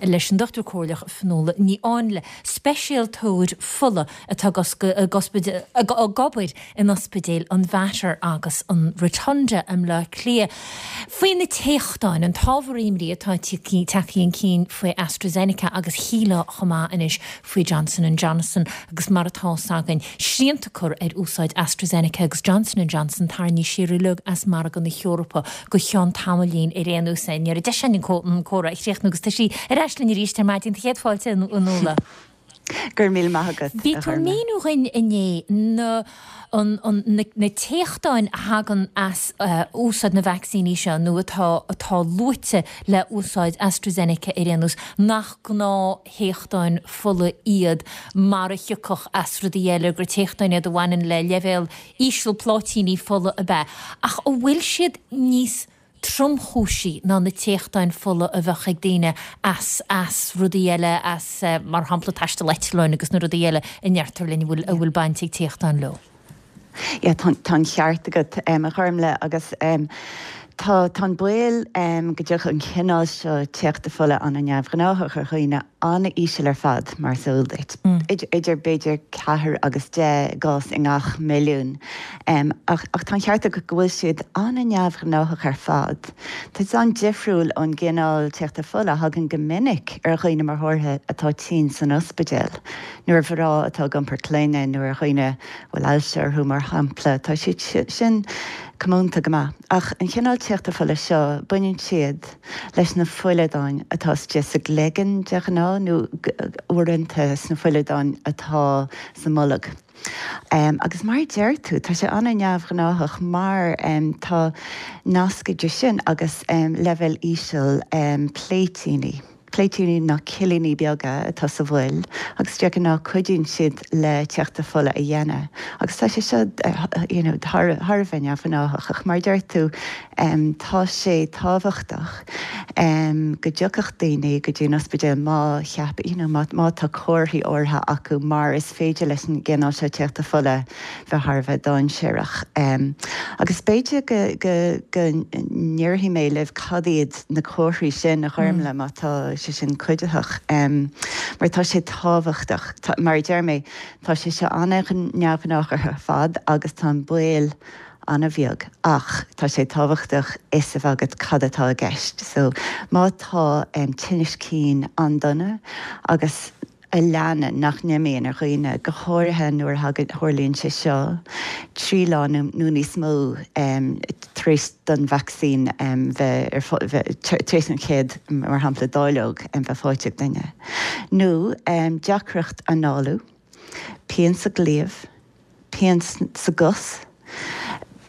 leis an Dochtúir Comhairleach Fionnuala Ní Áinle, speisialtóir fola atá ag obair in ospidéil an Mhater agus an Rotunda i mBleá Cliath, faoi na téachtáin, an t-ábhar imní atá tagtha chun cinn faoi AstraZeneca agus shílfeá chomh maith anois faoi Johnson and Johnson agus mar atá 's againn, srianta curtha ar úsáid AstraZeneca agus Johnson and Johnson tarraingthe siar uilig as margadh na hEorpa go ceann tamaillín ar aon nós. Ní raibh deis againn an comhrá a chríochnú agus tá sí ar ais linn arís ar maidin. Céad fáilte, a Fhionnuala. Go raibh míle maith agat. Bhí tú ag míniú dhúinn inné na na téachtáin a thagann as úsáid na vacsaíní seo nó atá atá luaite le úsáid AstraZeneca ar aon nós, nach gnáth-théachtáin fola iad mar a thiocfadh as rudaí eile, gur téachtáin iad a bhaineann le leibhéal íseal pláitíní fola ab ea. Ach an bhfuil siad níos tromchúisí ná na téachtáin fola a bheadh ag daoine as as rudaí eile, as mar shampla taisteal eitleáin agus na rudaí eile a ndeirtear linn a bhfuil a bhfuil baint ag téachtáin leo? Yeah, tá tá an ceart agat um, a Ghormlaith agus um, tá tá an baol um, go dtiocfadh an cineál seo téachta fola an-neamhghnáthach ar dhaoine an-íseal ar fad mar is eol duit. Mm. Idir b'fhéidir ceathair agus deich gcás i ngach milliún. Um, ach, ach tá an ceart agat go bhfuil siad an-neamhghnáthach ar fad. Tá siad an-difriúil ón gcineál téachta fola a thagann go minic ar dhaoine mar shampla atá tinn san ospidéal, nó ar mhná atá ag iompar clainne nó ar dhaoine a bhfuil ailse orthu mar shampla, tá siad sin comónta go maith. Ach an chineál téachta fola seo, baineann siad leis na fuileadáin atá istigh sa gcloigeann de ghnáth nó uaireanta sna fuileadáin atá sa mbolg. Um, agus mar a deir tú, tá sé an-neamhghnáthach mar um, tá nasc idir sin agus um, leibhéal íseal um, pléitíní. Pléitíní ná cillíní beaga atá sa bhfuil agus de ghnáth cuidíonn siad le téachta fola a dhéanamh. Agus tá sé seo you know, thar a bheith neamhghnáthach ach mar a deir tú um, tá sé tábhachtach um, go dtiocfadh daoine go dtí an ospidéal má cheap you know, má, má tá comharthaí áirithe acu mar is féidir leis an gcineál seo téachta fola bheith thar a bheith dainséarach. Um, agus b'fhéidir go, go, go ndéarfaidh mé libh cad iad na comharthaí sin a Ghormlaith má tá sé sin cuiditheach um, mar tá sé tábhachtach tá, mar a deir mé tá sé seo an-neamhghnách ar fad agus tá an baol an-bheag ach tá sé tábhachtach fhios a bheith agat cad atá i gceist. So má tá um, tinneas cinn an-dona agus a leanann nach n-imíonn ar dhaoine, go háirithe nuair a tharlaíonn sé seo trí lá nó níos mó tar éis don vacsaín bheith tar éis an chéad mar shampla dáileog bheith faighte ag duine. Nó deacracht análú, pian sa gcliabh, pian sa gcos,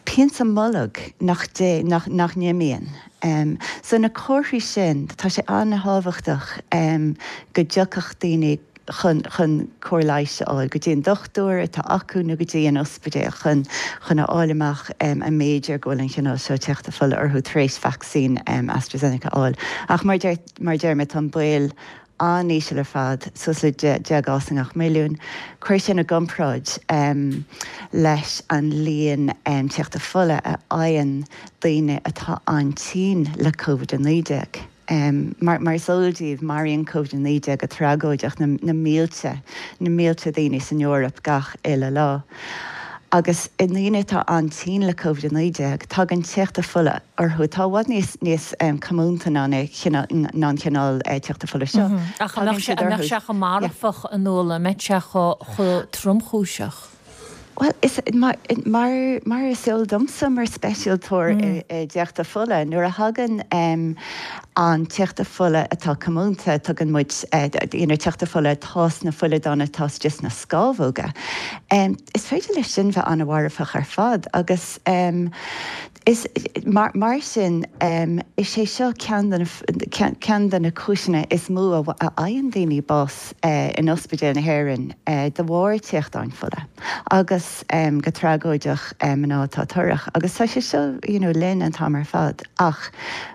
pian sa mbolg nach dé, nach, nach n-imíonn. Um, so na comharthaí sin, tá sé an-thábhachtach um, go dtiocfadh daoine chun, chun cóir leighis a fháil, go dtí an dochtúir atá acu nó go dtí an ospidéal chun, chun a fháil amach um, an mb'fhéidir go bhfuil an cineál seo téachta fola orthu tar éis vacsaín um, AstraZeneca a fháil. Ach mar deir, mar deir mé tá an baol an-íseal ar fad, suas le deich gcás i ngach milliún. Cuir sin i gcomparáid um, leis an líon um, téachta fola a fhaigheann daoine atá an-tinn le Covid a naoi déag. Um, mar, mar is eol daoibh, maraíonn Covid a naoi déag go tragóideach na, na mílte, na mílte daoine san Eoraip gach uile lá. Agus i ndaoine atá an-tinn le Covid a naoi déag, tagann téachta fola orthu atá i bhfad níos níos comónta ná ná an cineál téachta fola seo. Ach an mbeadh sé chomh marfach a Fhionnuala, an mbeadh sé chomh tromchúiseach? Bhuel, is mar mar is eol domsa mar speisialtóir i dtéachta fola, nuair a thagann an téachta fola atá comónta, tugann muid you know téachta fola atá sna fuileadáin atá istigh sna scamhóga, is féidir leis sin bheith an-mharfach ar fad agus is mar mar sin is é seo ceann de na ceann de na cúiseanna is mó a fhaigheann daoine bás in ospidéil na hÉireann de bharr téachtáin fola agus go tragóideach mná atá torrach agus tá sé seo you know linn an t-am ar fad ach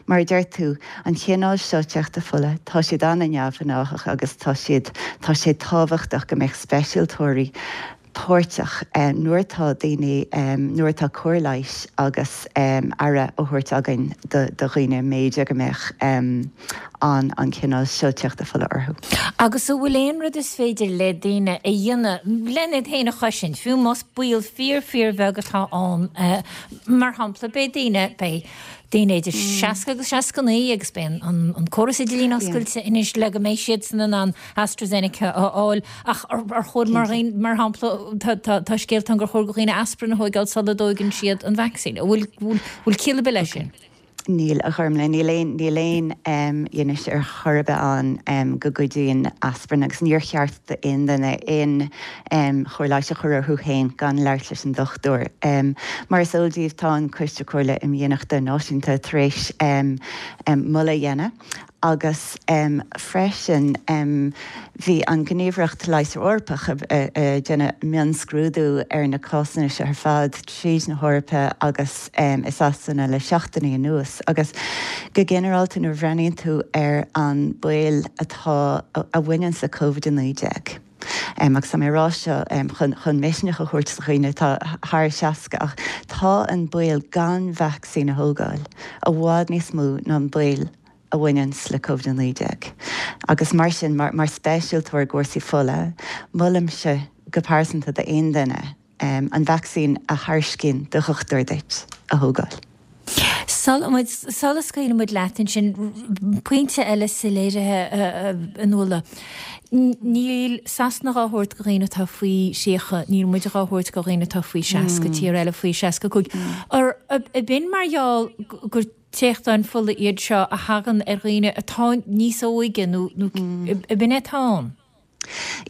mar a deir tú an chineál seo téachta fola tá siad an-neamhghnáthach agus tá siad tá sé tábhachtach go mbeadh speisialtóirí páirteach nuair atá daoine, nuair atá cóir leighis agus aire á thabhairt againn do dhaoine, mb'fhéidir go mbeadh an an cineál seo téachta fola orthu. Agus an bhfuil aon rud is féidir le daoine a dhéanamh lena iad féin a chosaint, fiú más baol fíor fíorbheag atá ann? Mar shampla, beidh daoine, beidh daoine idir seasca agus seasca naoi agus beidh an córas idirlín oscailte anois le go mbeidh siadsan in ann AstraZeneca a fháil ach ar chóir mar mar shampla tá scéalta ann gur chóir do dhaoine aspirin a thóigeáil sula dtóigeann siad an vacsaín. An bhfuil bhfuil ciall ar bith leis sin? Níl, a Ghormlaith, níl aon níl aon fhianaise ar chor ar bith ann go gcuidíonn aspirin agus níor cheart d'aon duine aon chóir leighis a chur orthu féin gan labhairt leis an dochtúir. Mar is eol daoibh, tá an Coiste Comhairle Imdhíonachta Náisiúnta tar éis moladh a dhéanamh agus freisin bhí an Ghníomhaireacht Leighis Eorpach ag déanamh mionscrúdú ar na cásanna seo ar fad tríd na hEorpa agus i Sasana le seachtainí anuas agus go ginearálta nuair a bhreathnaíonn tú ar an baol atá a bhaineann le Covid a naoi déag agus tá mé ag rá seo chun chun misneach a thabhairt do dhaoine atá thar seasca ach tá an baol gan vacsaín a thógáil i bhfad níos mó ná an baol a bhaineanns le Covid a naoi déag. Agus mar sin, mar speisialtóir i gcúrsaí fola, molaimse go pearsanta d'aon duine an vacsaín a thairiscíonn do dhochtúir duit a thógáil. Sula scaoileann muid leat ansin, pointe eile soiléirithe a Fhionnuala. Níl Sasana dhá thabhairt do dhaoine atá faoi thríocha, níl muid dhá thabhairt do dhaoine atá faoi seasca, tír eile faoi seasca cúig. Ab in mar gheall gur téachtáin fola iad seo a thagann ar dhaoine atá níos óige nó ab in é atá ann?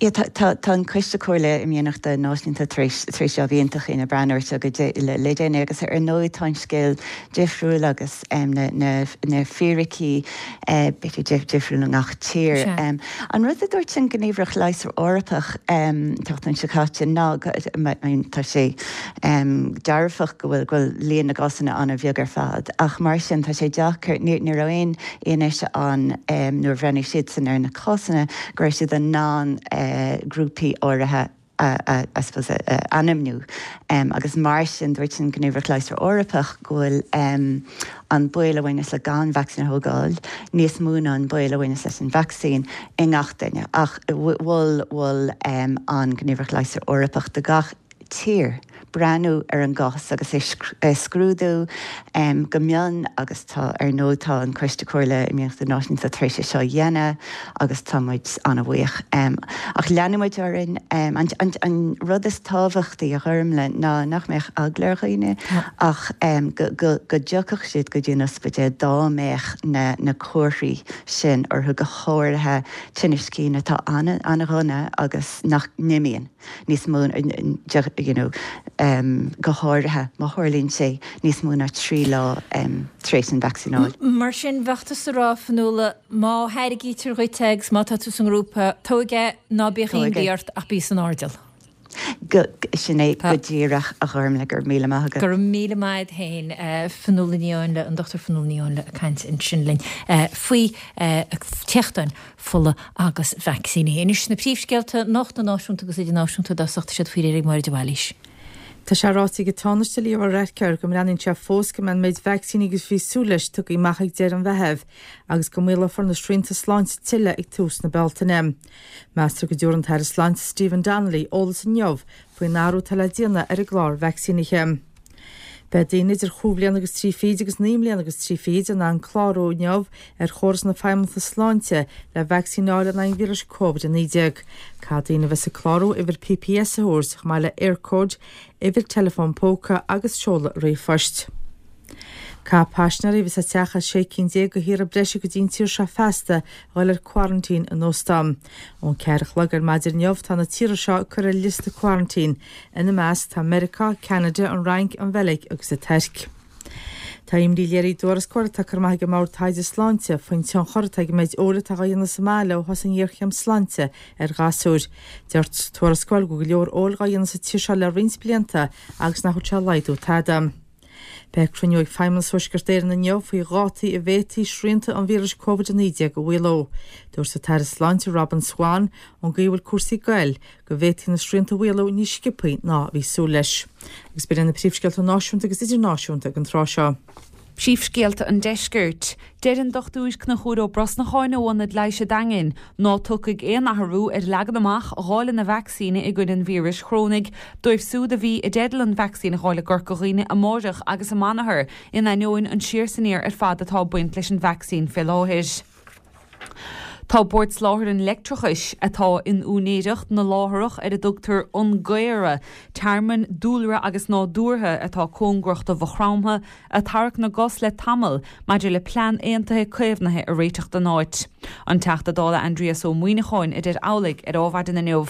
Yeah, tá, tá, tá an Coiste Comhairle Imdhíonachta Náisiúnta tar éis, tar éis jab iontach a dhéanamh breathnú air seo go dé, le, le déanaí agus ar ndóigh tá an scéal difriúil agus um, na, na, na fíricí uh, b'fhéidir difriúil i ngach tír. Sea. Um, an rud a dúirt an Ghníomhaireacht Leighis Eorpach um, an tseachtain seo caite ná go, I mean, tá sé um, dearfach go bhfuil, go bhfuil líon na gcásanna an-bheag ar fad ach mar sin tá sé deacair, ní, ní raibh aon fhianaise ann um, nuair a bhreathnaigh siadsan ar na cásanna go raibh siad in ann grúpaí áirithe a, a, I suppose, a, a ainmniú. Um, agus mar sin dúirt an Ghníomhaireacht Leighis Eorpach go bhfuil um, an baol a bhaineas le gan vacsaín a thógáil níos mó ná an baol a bhaineas leis an vacsaín i ngach duine. Ach mhol mhol um, an Ghníomhaireacht Leighis Eorpach do gach tír breathnú ar an gcás agus é scrúdú go mion agus tá, ar ndóigh, tá an Coiste Comhairle Imdhíonachta Náisiúnta tar éis é seo a dhéanamh agus tá muid an-bhuíoch. Ach leanfaidh muid orainn. An rud is tábhachtaí, a Ghormlaith, ná nach mbeadh eagla ar dhaoine ach go dtiocfadh siad go dtí an ospidéal dá mbeadh na comharthaí sin orthu, go háirithe tinnis cinn atá an-dhona agus nach n-imíonn. níos mó you know go háirithe má tharlaíonn sé níos mó ná trí lá tar éis an vacsaíneáil. Mar sin, bheadh tusa ag rá, Fionnuala, má thairgítear dhuit é agus má tá tú sa ngrúpa, tóg é, ná bíodh imní ort ach bí san airdeall. Go, sin é go díreach, a Ghormlaith, go raibh míle maith agat. Go raibh míle maith agat féin, Fionnuala Ní Áinle, an Dochtúir Fionnuala Ní Áinle ag caint ansin linn faoi téachtáin fola agus vacsaíní. Anois na príomhscéalta nuachta náisiúnta agus idirnáisiúnta i dtosach, tá siad faoi réir ag Máire de Bhailís. Tá sé ráite ag an Tánaiste Leo Varadkar go mbreathnaíonn sé fós go mbeidh an méid vacsaíní agus bhí súil leis tugtha amach ag deireadh an Mheithimh agus go maolófar na srianta sláinte tuilleadh ag tús na Bealtaine. Meastar go dtabharfaidh an tAire Sláinte Stephen Donnelly eolas inniu faoin athrú atá le déanamh ar an gclár vacsaínithe. Beidh daoine idir chúig bhliana agus trí fichid agus naoi mbliana agus trí fichid in ann clárú inniu ar chóras na Feidhmeannachta Sláinte le vacsaín a fháil in aghaidh an víris Covid a naoi déag. Caithfidh daoine a bheas ag clárú uimhir P P S a thabhairt, chomh maith le Eircode, uimhir teileafóin póca agus seoladh ríomhphoist. Caithfidh paisinéirí a bheas ag teacht as sé cinn déag de thíortha breise go dtí an tír seo feasta a dhul ar quarantine in óstán. Ón ceathair a chlog ar maidin inniu tá na tíortha seo curtha ar liosta quarantine. Ina measc tá Meiriceá, Ceanada, an Fhrainc, an Bheilg agus an Tuirc. Tá imní léirithe i dtuarascáil atá curtha amach ag an mBord Taighde Sláinte faoin tionchar atá ag an méid óil atá á dhéanamh sa mbaile ó thosaigh an ghéarchéim sláinte ar ghasúir. Deir sa tuarascáil go bhfuil go leor óil á dhéanamh sa tír seo le roinnt blianta agus nach bhfuil sé ag laghdú tada. Beidh cruinniú ag Feidhmeannas Thuaisceart Éireann inniu faoi dhátaí a bhféadfaí srianta an víris Covid a naoi déag a mhaolú. Dúirt an tAire Sláinte Robin Swann, ón gcaoi a bhfuil cúrsaí ag goil, go bhféadfaí na srianta a mhaolú níos sciobthaí ná a bhí súil leis. Agus b'in iad na príomhscéalta náisiúnta agus idirnáisiúnta ag an tráth seo. Príomhscéalta an Deiscirt. Deir an Dochtúir Conchúr Ó Brosnacháin ó Ionad Leighis an Daingin ná tiocfaidh aon athrú ar leagan amach dháileadh na vacsaíne i gcoinne an víris chorónaigh dóibh siúd a bhí i dteideal an vacsaín a fháil i gCorca Dhuibhne amáireach agus amanathar in ainneoin an siar is aniar ar fad atá ag baint leis an vacsaín fé láthair. Tá Bord Soláthair an Leictreachais, atá in úinéireacht na láithreach ar a dtugtar An Gaora, tearmann dúlra agus nádúrtha atá cóngarach do Mhaigh Chromtha, ag tarrac na gcos le tamall maidir le plean aontaithe caomhnaithe a réiteach don áit. An Teachta Dála Aindrias Ó Muimhneacháin a deir amhlaidh ar Adhmhaidin inniu.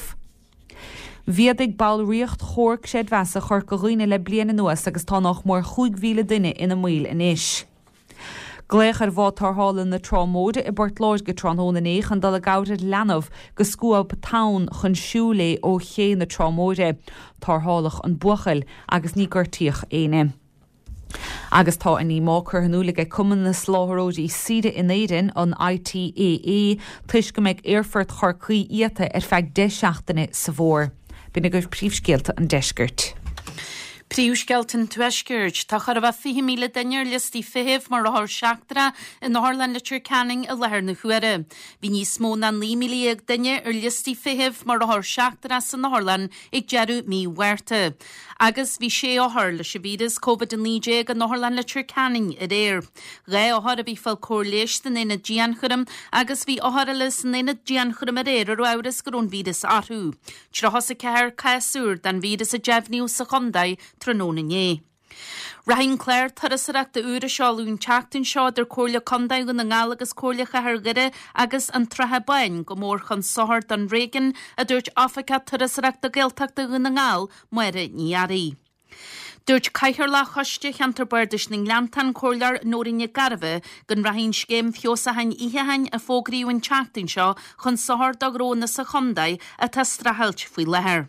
Mhéadaigh ballraíocht Chomhar Creidmheasa Chorca Dhuibhne le bliain anuas agus tá nách mór chúig mhíle duine ina mbaill anois. Glaodh ar bhád tarrthála na Trá Móire i bPort Láirge tráthnóna inné chun dul i gcabhair ar leanbh go scuab tonn chun siúil é ó ché na Trá Móire. Tarrtháladh an buachaill agus ní gortaíodh éinne. Agus tá a ndíomá curtha in iúl ag Cumann na Soláthróirí Saoire in Éirinn, an I T A A, toisc go mbeidh Aerfort Chorcaí iata ar feadh deich seachtaine sa bhfómhar. B'in agaibh príomhscéalta an deiscirt. Príomhscéalta an Tuaiscirt. Tá chóir a bheith fiche míle duine ar liostaí feithimh mar othar seachtrach in Otharlann Leitir Ceanainn i láthair na huaire. Bhí níos mó ná naoi míle dhéag duine ar liostaí feithimh mar othar seachtrach san otharlann ag deireadh mí Mhárta. Agus bhí sé othar leis an víreas Covid a naoi déag in Otharlann Leitir Ceanainn aréir. Dhá othar a bhí ag fáil cóir leighis san aonad dianchúraim agus bhí othar eile san aonad dianchúraim aréir a raibh amhras go raibh an víreas orthu. Tríocha is a ceathair cás úr den víreas a deimhníodh sa chontae tráthnóna inné. Rachaidh an clár turasóireachta úr a seoladh an tseachtain seo idir Comhairle Contae Dhún na nGall agus Comhairle Chathair Dhoire agus an tSratha Báin go mór chun sochair don réigiún, a dúirt Oifigeach Turasóireachta Gaeltachta Dhún na nGall, Máire Ní Fhearraigh. Dúirt Cathaoirleach Choiste Cheantar Bardais na nGleanntach, an Comhairleoir Nóirín Nic Gairbheith, go rachaidh an scéim feabhsúcháin itheacháin a fógraíodh an tseachtain seo chun sochair do ghnónna sa chontae atá ag streachailt faoi láthair.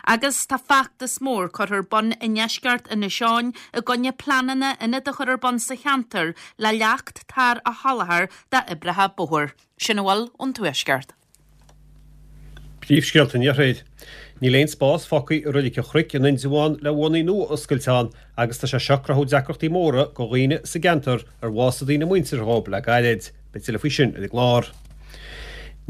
Agus tá feachtas mór curtha ar bun i ndeisceart Inis Eoghain i gcoinne pleananna ionad a chur ar bun sa cheantar le leacht tar a sholáthar d'oibrithe bóthair. Sin a bhfuil ón Tuaisceart. Príomhscéalta an Iarthair. Níl aon spás fágtha i Reilig an Chnoic in Indreabhán le urnaí nua a oscailt ann agus tá sé seo ag cruthú deacrachtaí móra do dhaoine sa gceantar ar bhásaigh daoine muinteartha dhóibh le gairid. Beidh tuilleadh faoi sin ar an gclár.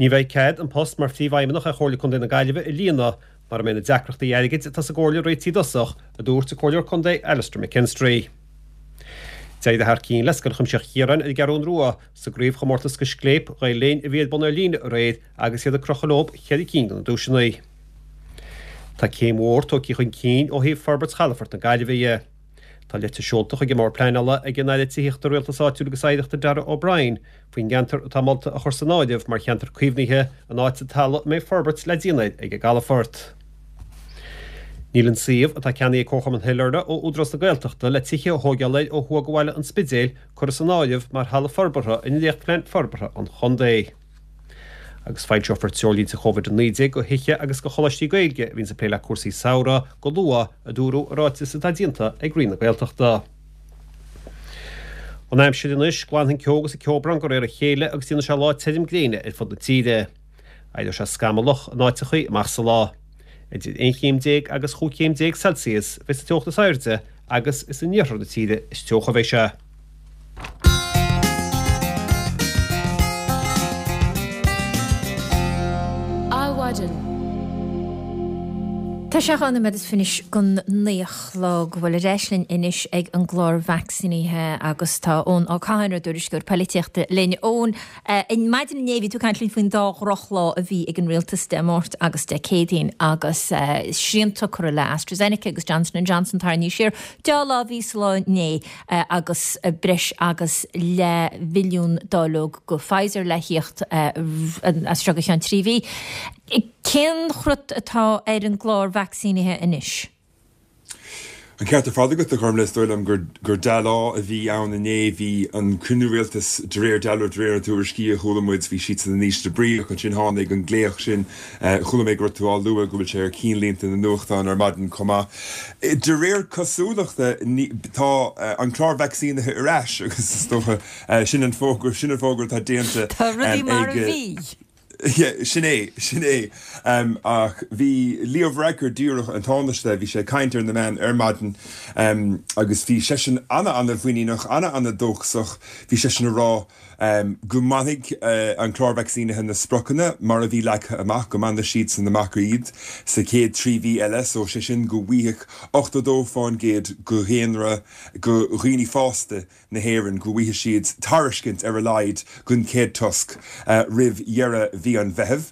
Ní bheidh cead an post mar Phríomhfheidhmeannach ar Chomhairle Contae na Gaillimhe a líonadh mara mbeidh na deacrachtaí airgid atá sa gComhairle réitithe i dtosach, a dúirt an Comhairleoir Contae Alastair McKinstry. D'éirigh thar cinn le Scoil Chuimsitheach Chiaráin ar an gCeathrún Rua sa gcraobhchomórtas Scléip Ghael Linn a bhí ar bun ar líne aréir agus iad ag crochadh leo cheithre cinn de na duaiseanna. Tá céim mhór tógtha chun cinn ó thaobh forbairt chalafort na Gaillimhe dhe. Tá litir seolta chuig an mBord Pleanála ag an Aire Tithíochta, Rialtais Áitiúil agus Oidhreachta Darragh O'Brien faoin gceantar atá molta a chur san áireamh mar cheantar caomhnaithe in áit an talamh a mbeidh forbairt le déanamh air ag an gcalafort. Níl an suíomh atá ceannaithe ag Comharchumann Shailearna ó Údarás na Gaeltachta le tithe a thóigeáil air ó thuaidh de bhaile an Spidéil curtha san áireamh mar thalamh forbartha i ndréachtphlean forbartha an chontae. Agus foilseofar treoirlínte Covid a naoi déag do thithe agus do choláistí Gaeilge a bhíonns ag plé le cúrsaí samhraidh go luath, a dúradh i ráiteas atá déanta ag Roinn na Gaeltachta. An aimsir anois, glanfaidh an ceo agus an ceobrán de réir a chéile agus déanfaidh sé lá tirim gréine ar fud na tíre. Éireoidh sé scamallach in áiteachaí amach sa lá. Idir aon chéim déag agus chúig chéim déag Celsius a bheidh sa teocht is airde agus is in iarthar na tíre is teocha a bheidh sé. Adhmhaidin. Tá sé dhá nóiméad is fiche don naoi a chlog bhuel ar ais linn anois ag an gclár vacsaínithe agus tá Eoin Ó Catháin ár dtuairisceoir polaitíochta linn. Eoin, maidin inné bhí tú ag caint linn faoin dá dhrochlá a bhí ag an rialtas Dé Máirt agus Dé Céadaoin agus srianta curtha le AstraZeneca agus Johnson and Johnson tarraingthe siar. Dea-lá a bhí sa lá inné agus breis agus leathmhilliún dáileog go Pfizer le thíocht as seo go ceann trí mhí. Cén cruth atá ar an gclár vacsaínithe anois? An ceart ar fad agat, a Ghormlaith, is dóigh liom gur gur dea-lá a bhí ann inné. Bhí an cruinniú rialtais de réir dealraimh, de réir na tuairiscí a chuala muid, bhí siadsan in ísle brí ach ansin tháinig an glaoch sin. Chuala mé go raibh tú á lua go bhfuil sé ar cinnlínte na nuachtán ar maidin chomh maith. De réir cosúlachta tá an clár vacsaínithe ar ais agus is dócha sin an fógra, sin an fógra atá déanta Tá rudaí mar a bhí. Sin é, sin é. Ach bhí Leo Varadkar díreach, an Tánaiste, bhí sé ag caint ar na meáin ar maidin agus bhí seisean ana-ana-mhuiníneach, ana-ana-dóchasach. Bhí seisean ag rá go mbainfidh an clár vacsaínithe na spriocanna mar a bhí leagtha amach, go mbainfidh siadsan amach iad sa chéad trí mhí eile, so sé sin go bhfaighidh ochtó dó fán gcéad de dhaonra, de dhaoine fásta, na hÉireann go bhfaighidh siad tairiscint ar a laghad den chéad toisc roimh dheireadh mhí an Mheithimh.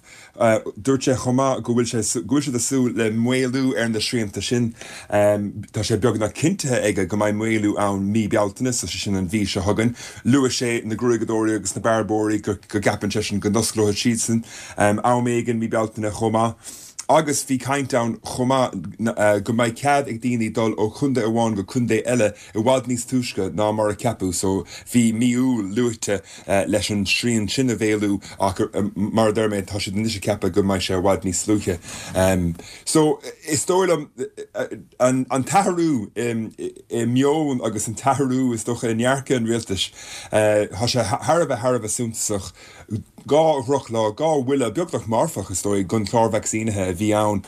Dúirt sé chomh maith go bhfuil sé go bhfuil siad ag súil le maolú ar na srianta sin. Tá sé beagnach cinntithe aige go mbeidh maolú ann mí Bealtaine, so sé sin an mhí seo chugainn. Luaigh sé na gruaigeadóirí agus na bearbóirí go gceapann seisean go n-osclóidh siadsan am éigin mí Bealtaine chomh maith. Agus bhí caint ann chomh maith go mbeidh cead ag daoine dul ó chontae amháin go contae eile i bhfad níos túisce ná mar a ceapadh so bhí mí Iúil luaite leis an srian sin a mhaolú ach mar a deir mé tá siad anois ag ceapadh go mbeidh sé i bhfad níos luaithe. So is dóigh liom an t-athrú i meon agus an t-athrú is dócha i ndearcadh an rialtais tá sé thar a bheith thar a bheith suntasach. Dhá dhrochlá, dhá bhuille, beagnach marfach is dóigh, don chlár vacsaínithe a bhí ann.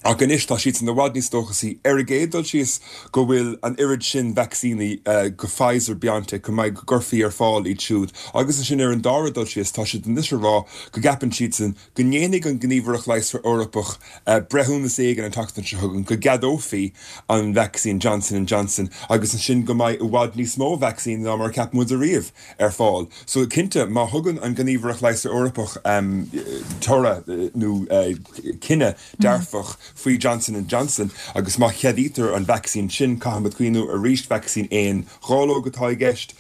Ach anois tá siadsan i bhfad níos dóchasaí ar an gcéad dul síos go bhfuil an oiread sin vacsaíní go Pfizer, BioNTech, go mbeidh, go gcuirfí ar fáil iad siúd. Agus ansin ar an dara dul síos tá siad anois ag rá go gceapann siadsan go ndéanfaidh an Ghníomhaireacht Leigheasra Eorpach breithiúnas éigin an tseachtain seo chugainn go gceadófaí an vacsaín Johnson and Johnson agus ansin go mbeidh i bhfad níos mó vacsaíní ná mar a cheap muid ariamh. ar fáil. So, cinnte, má thugann an Ghníomhaireacht Leigheasra Eorpach toradh nó cinneadh dearfach faoi Johnson and Johnson agus má cheadaítear an vacsaín sin, caithfimid cuimhniú arís, vacsaín aon dháileog atá i gceist,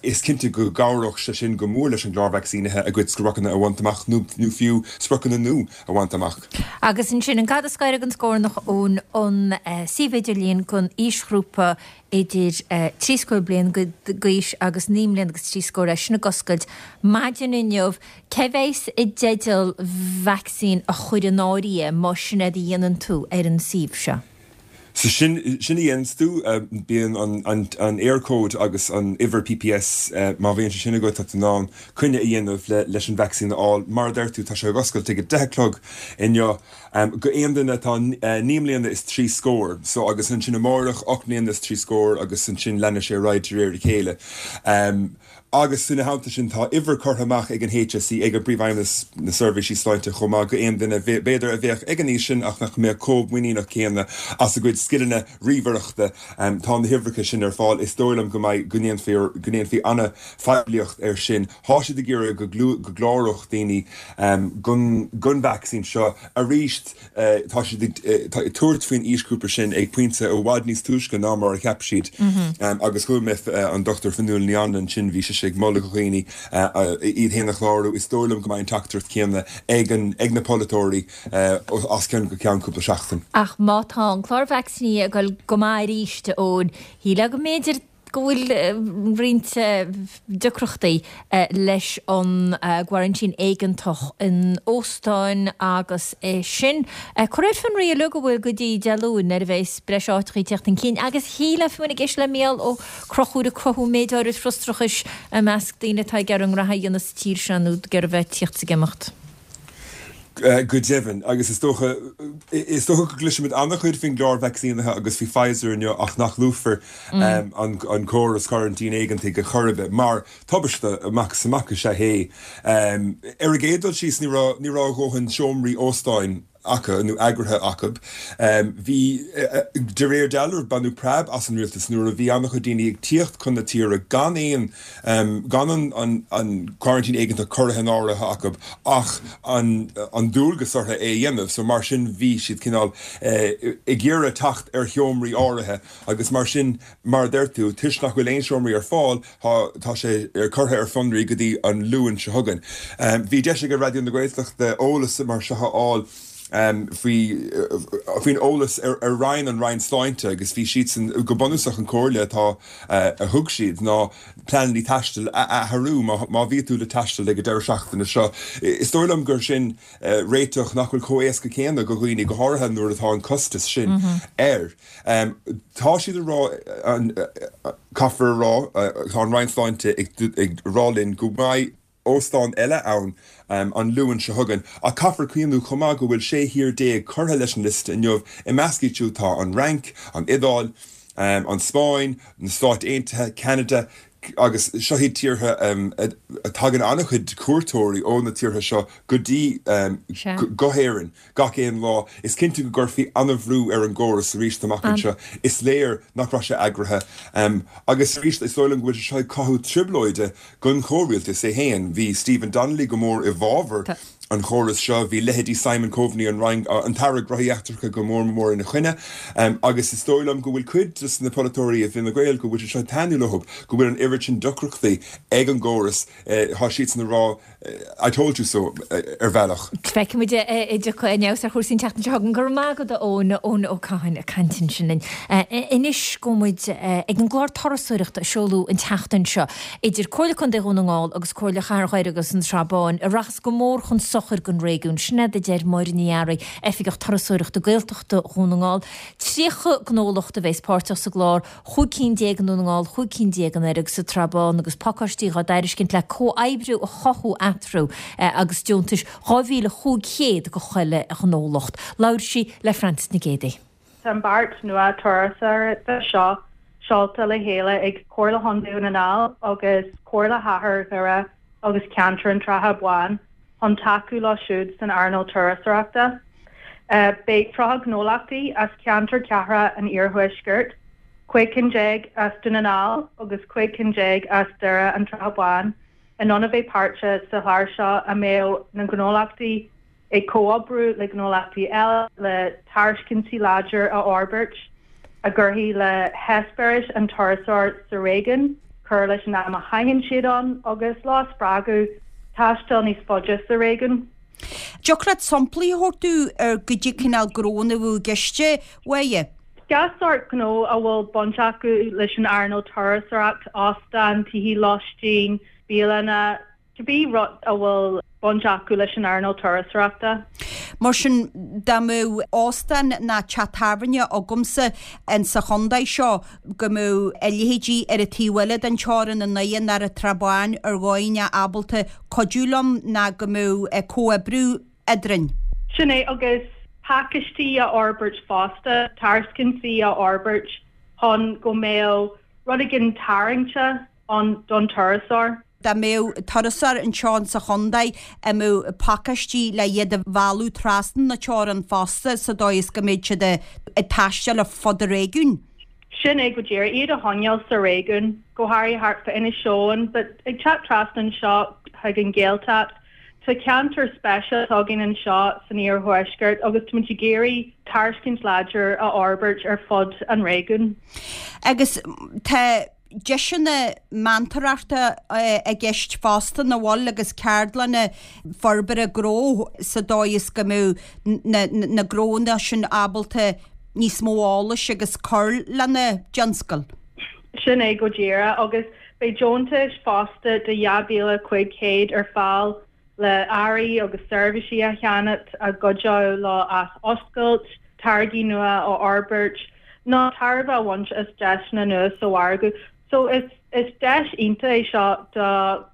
is cinnte go gcabhródh sé sin go mór leis an gclár vacsaínithe a gcuid spriocanna a bhaint amach nó fiú spriocanna nua a bhaint amach. Agus ansin, an gad is gaire don scornach ón suíomh idirlín don aoisghrúpa idir trí scór bliain d'aois agus naoi mbliana agus trí scór, é sin ag oscailt maidin inniu. Cé bheas i dteideal vacsaín a chur in áirithe más sin é a dhéanann tú ar an suíomh seo? So sin, sin a dhéananns tú, bíonn an, an, an Eircode agus an uimhir P P S, má bhíonn sé sin agat, tá tú in ann coinne a dhéanamh le, leis an vacsaín a fháil. Mar a deir tú, tá sé ag oscailt ag a deich a chlog inniu. Go aon duine atá naoi mbliana is trí scór, so agus ansin amárach ocht mbliana is trí scór agus ansin leanfaidh sé ar aghaidh de réir a chéile. Agus ina theannta sin tá uimhir curtha amach ag an H S E, ag an bPríomhfheidhmeannas na Seirbhísí Sláinte chomh maith go aon duine b'fhéidir a bheadh ag an aois sin ach nach mbeadh chomh muiníneach céanna as a gcuid scileanna ríomhaireachta. Tá na huimhreacha sin ar fáil. Is dóigh liom go mbeidh, go ndéanfaí, go ndéanfaí an-phoiblíocht air sin. Tá siad ag iarraidh go gcláródh daoine don vacsaín seo arís. Tá siad ag tabhairt faoin aoisghrúpa sin ag pointe i bhfad níos túisce ná mar a cheap siad. Agus chuala mé an Dochtúir Fionnuala Ní Anluain ansin, bhí sise ag moladh do dhaoine iad féin a chlárú. Is dóigh liom go mbeidh an teachtaireacht chéanna ag na polaiteoirí as ceann go ceann cúpla seachtain. Ach má tá an clár vacsaíní ag dul go maith arís, a Eoin, shílfeá go mb'fhéidir go bhfuil roinnt deacrachtaí leis an gcoraintín éigeantach in óstáin agus é sin curtha ar fionraí uilig go bhfuil go dtí Dé Luain nuair a bheas breis áiteacha ag teacht chun cinn agus shílfeá fiú ag éisteacht le Mícheál Ó Conchúir ag cruthú méid áirid frustrachais i measc daoine atá ag iarraidh a ngraithe a dhéanamh sa tír seo nó ag iarraidh bheith ag tíocht is ag imeacht. Go deimhin, agus is dócha, is dócha go gcloisfimid an-chuid faoin gclár vacsaínithe agus faoi Pfizer inniu ach nach luafar an córas coraintín éigeantaigh ar chor ar bith, mar tubaiste amach is amach is ea é. Ar an gcéad dul síos, ní raibh, ní raibh a dhóthain seomraí óstáin acu nó eagraithe acu. Bhí, de réir dealraimh, baineadh preab as an rialtas nuair a bhí an-chuid daoine ag tíocht chun na tíre gan aon, gan an coraintín éigeantach curtha in áirithe acu ach an dualgas orthu é a dhéanamh. So mar sin bhí siad cineál ag iarraidh teacht ar sheomraí áirithe agus mar sin, mar a deir tú, toisc nach bhfuil aon seomraí ar fáil, tá sé curtha ar fionraí go dtí an Luan seo chugainn. Bhí deis ag Raidió na Gaeltachta eolas mar seo a fháil faoi faoin eolas ar ar roinn an Roinn Sláinte agus bhí siadsan go bunúsach an comhairle atá a thug siad ná pleananna taistil a athrú má má bhí tú le taisteal ag an deireadh seachtaine seo. Is dóigh liom gur sin réiteach nach bhfuil chomh éasca céanna go dhaoine go háirithe nuair atá an costas sin air. Tá siad a rá caithfear a rá tá an Roinn Sláinte ag rá linn go mbeidh óstán eile ann an Luan seo chugainn ach caithfear cuimhniú chomh maith go bhfuil sé thír déag curtha leis an liosta inniu. I measc iad siúd tá an Fhrainc, an Iodáil, an Spáinn, na Stáit Aontaithe, Ceanada agus seo iad tíortha a tagann an-chuid cuairteoirí ó na tíortha seo go dtí go hÉirinn gach aon lá. Is cinnte go gcuirfí an-bhrú ar an gcóras arís amach anseo. Is léir nach raibh sé eagraithe. Agus arís, is dóigh liom go bhfuil sé seo ag cothú trioblóide don chomhrialtas é féin. Bhí Stephen Donnelly go mór i bhfabhar an chórais seo, bhí leithéidí Simon Coveney, an Roinn, an tAire Gnóthaí Eachtracha go mór mór ina choinne. Agus is dóigh liom go bhfuil cuid de na polaiteoirí i bhFine Gael go bhfuil sé seo ag taitneamh leo, go bhfuil an oiread sin deacrachtaí ag an gcóras. Tá siadsan ag rá I told you so ar bhealach. Feicfidh muid an dtiocfaidh aon fheabhas ar chúrsaí an tseachtain seo chugainn. Go raibh maith agat a Eoin, Eoin Ó Catháin ag caint ansin linn. Anois gabhfaidh muid ag an gclár turasóireachta a seoladh an tseachtain seo idir Comhairle Contae Dhún na nGall agus Comhairle Chathair Dhoire agus an tSrath Báin a rachas go mór chun sochair don réigiún. Sin é a deir Máire Ní Fhearraigh, Oifigeach Turasóireachta Gaeltachta Dhún na nGall. Tríocha gnólacht a bheas páirteach sa gclár, chúig cinn déag i nDún na nGall, chúig cinn déag i nDoire agus sa tSrath Bán agus pacáistí dhá dtairiscint le comhoibriú a chothú eatarthu agus deontais dhá mhíle chúig chéad do chuile ghnólacht. Labhair sí le Frances Nic Géadaigh. Tá an beart nua turasóireachta seo seolta le chéile ag Comhairle Chontae Dhún na nGall agus Comhairle Chathair Dhoire agus Ceantar an tSratha Báin chun tacú leo siúd san earnáil turasóireachta. Beidh tríocha gnólachtaí as ceantar cathrach an iarthuaiscirt, cúig cinn déag as Dún na nGall agus cúig cinn déag as Doire an tSratha Báin, in ann a bheith páirteach sa chlár seo a mbeidh na gnólachtaí ag comhoibriú le gnólachtaí eile le tairiscintí láidir a fhorbairt a gcuirfidh le heispéiris an turasóir sa réigiún, cur leis an am a chaitheann siad ann agus leo a spreagadh taisteal níos faide sa réigiún. Dtiocfadh leat samplaí a thabhairt dúinn ar goidé cineál gnónna a bheadh i gceist, a Mháire? Gach sórt gnó a bhfuil baint acu leis an earnáil turasóireacht, óstáin, tithe lóistín, bialanna, cibé rud a bhfuil baint acu leis an earnáil turasóireachta. Mar sin, dá mbeadh óstán ná teach tábhairne agamsa in sa chontae seo, go mbeadh a leithéidí ar an taobh eile den teorainn i nDoire ná ar an tSrath Báin ar dhóigh ábalta cuidiú liom ná go mbeadh comhoibriú eadrainn. Sin é, agus pacáistí a fhorbairt fosta, tairiscintí a fhorbairt chun go mbeadh rud éigin tarraingteach ann don turasóir. Dá mbeadh turasóir anseo in sa chontae, an mbeadh pacáistí le iad a mhealladh trasna na teorann fosta sa dóigh is go mbeadh siad ag taisteal ar fud an réigiúin? Sin é go díreach, iad a choinneáil sa réigiún, go háirithe thart fá Inis Eoghain, but ag teacht trasna anseo chuig an Ghaeltacht, tá ceantar speisialta againn anseo san iarthuaisceart agus táimid ag iarraidh tairiscint láidir a fhorbairt ar fud an réigiúin. Agus tá deiseanna meantóireachta i gceist fosta nach bhfuil agus ceardlanna forbartha gnó sa dóigh is go mbeadh na gnónna sin ábalta níos mó eolais agus cur lena dtionscal. Sin é go díreach agus beidh deontais fosta de dhá mhíle cúig chéad ar fáil le earraí agus seirbhísí a cheannacht a gcuideodh leo athoscailt, táirgí nua a fhorbairt nó tairbhe a bhaint as deiseanna nua sa mhargadh. So is is deis iontach é seo do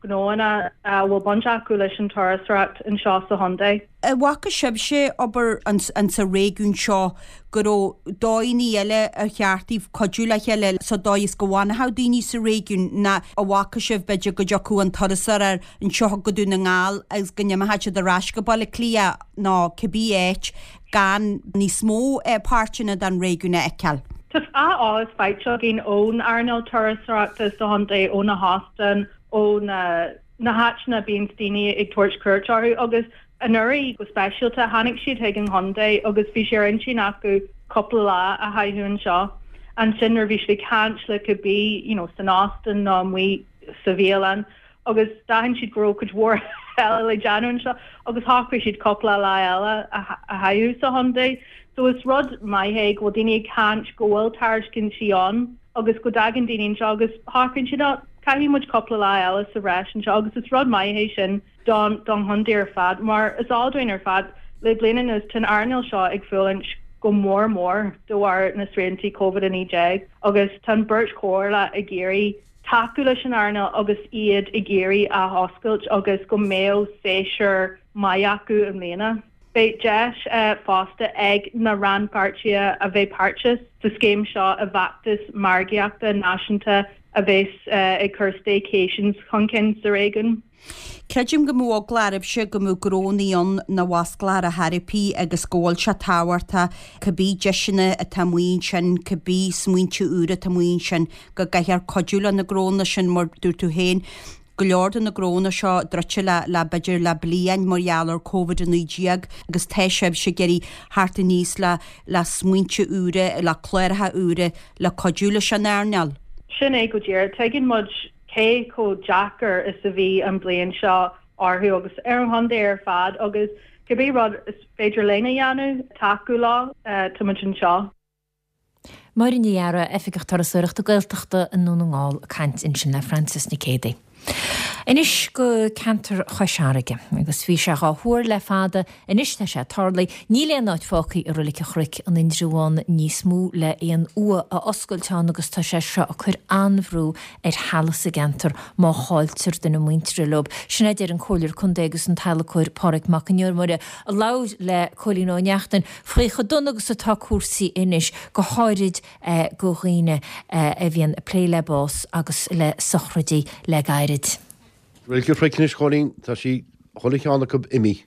ghnóanna a bhfuil baint acu leis an turasóireacht anseo sa chontae. An bhfaca sibhse obair sa réigiún seo go raibh dóigheanna eile ar cheart daoibh cuidiú le chéile sa dóigh is go bhfanfadh daoine sa réigiún ná an bhfaca sibh b'fhéidir go dtiocfadh an turasóir anseo go Dún na nGall agus go n-imeodh siad ar ais go Baile Átha Cliath nó cibé áit gan níos mó páirteanna den réigiún a fheiceáil? Tá an-eolas faighte againn ón earnáil turasóireachta sa chontae, ó na hóstáin, ó na na háiteanna a bíonns daoine ag tabhairt cuairt orthu agus anuraidh go speisialta tháinig siad chuig an chontae agus bhí sé ar intinn acu cúpla lá a chaitheamh anseo. Ansin nuair a bhí siad ag caint le cibé you know san óstán nó amuigh sa bhialann agus d'aithin siad go raibh cuid mhór eile le déanamh anseo agus shocraigh siad cúpla lá eile a chaitheamh sa chontae. So is rud maith é go bhfuil daoine ag caint go bhfuil tairiscintí ann agus go dtagann daoine anseo agus shocraíonn siad oh caithfidh muid cúpla lá eile sa bhreis anseo agus is rud maith é sin don don chontae ar fad mar is eol dúinn ar fad le bliain anuas tá an earnáil seo ag fulaingt go mór mór de bharr na sriantaí Covid a naoi déag agus tá an bheirt chomhairle ag iarraidh tacú leis an earnáil agus iad ag iarraidh athoscailt agus go mbeadh séasúr maith acu i mbliana. Beidh deis fosta ag na rannpháirtithe a bheith páirteach sa scéim seo i bhfeachtas margaíochta náisiúnta a bheas ag cur staycations chun cinn sa réigiún. Creidim go mbeadh eagla oraibhse go mbeadh gnónnaí ann nach bhfosclódh ar chor ar bith agus go bhfuil sé tábhachtach cibé deiseanna atá amuigh ansin, cibé smaointe úra atá amuigh ansin, go gcaithfear cuidiú le na gnónna sin mar dúirt tú féin, go leor de na gnónna seo druidte le le b'fhéidir le bliain mar gheall ar Covid a naoi déag agus tá sibhse ag iarraidh theacht aníos le le smaointe úra, le cláracha úra le cuidiú leis an earnáil. Sin é go díreach. Tuigeann muid cé chomh deacair is a bhí an bliain seo orthu agus ar an chontae ar fad agus cibé rud is féidir linn a dhéanamh tacú leo, tá muid anseo. Máire Ní Eadhra, Oifigeach Turasóireachta Gaeltachta i nDún na nGall, ag caint ansin le Frances Nic Géadaigh. Anois go ceantar Chois Fharraige, agus bhí sé dhá thuar le fada, anois tá sé tarlaithe, níl aon áit fágtha i Reilig an Chnoic in Indreabhán níos mó le aon uaigh a oscailt ann agus tá sé seo ag cur an-bhrú ar theaghlaigh sa gceantar má chailltear duine muinteartha leo. Sin é a deir an Comhairleoir Contae agus an t-adhlacóir Pádraig Mac an Iomaire a labhair le Cóilín Ó Neachtain faoi chomh dona agus atá cúrsaí anois, go háirid go dhaoine a bhíonn ag plé le bás agus le sochraidí le gairid. Reilig an Chnoic anois, Chóilín, tá sí, chuile cheann acu imithe.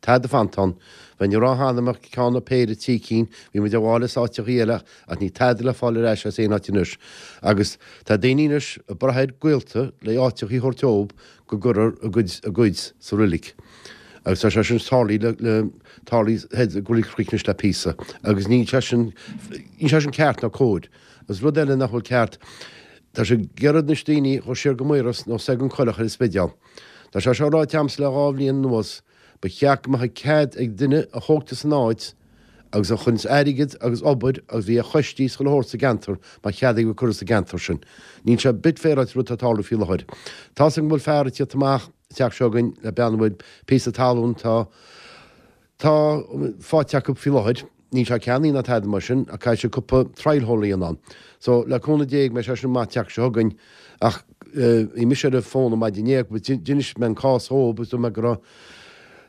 Tada fanta ann. Bheinn ag rá cheana go mbeadh ceann nó péire, trí cinn, bhí muid ag fáil as áiteachaí eile ach níl tada le fáil ar ais as aon áit anois. Agus tá daoine anois ag brath ar gaolta le áiteachaí a thabhairt dóibh go gcuirfear a gcuid, a gcuid sa roilig. Agus tá sé sin tarlaithe le, le, tarlaithe i Reilig an Chnoic anois le píosa. Agus níl sé sin, níl sé sin ceart ná cóir. Agus rud eile nach bhfuil ceart, tá sé ag iarraidh anois daoine a dhul siar go Maoras nó soir gon Choileach ar an Spidéal. Tá sé seo ráite a'msa le dhá bhliain anuas, ba cheart go mbeadh cead ag duine a thógtar san áit agus a chuireanns airgead agus obair agus bhí ar choistí is chuile shórt sa gceantar mbeadh cead aige cur as sa gceantar sin. Níl sé bit féaráilte rud atá ag tarlú faoi láthair. Tá's agam go bhfuil fear ag tíocht amach an teach seo againn le bean a bhfuil píosa talún tá tá faighte acu faoi láthair. Níl sé ceannaithe ná tada mar sin ach caithfidh sé cúpla trial hole a dhéanamh ann. So le cúnamh Dé beidh sé sin amach an tseachtain seo chugainn ach bhí mise ar an bhfón an maidin inné agus d'inis mé an cás dhób agus dúirt mé go raibh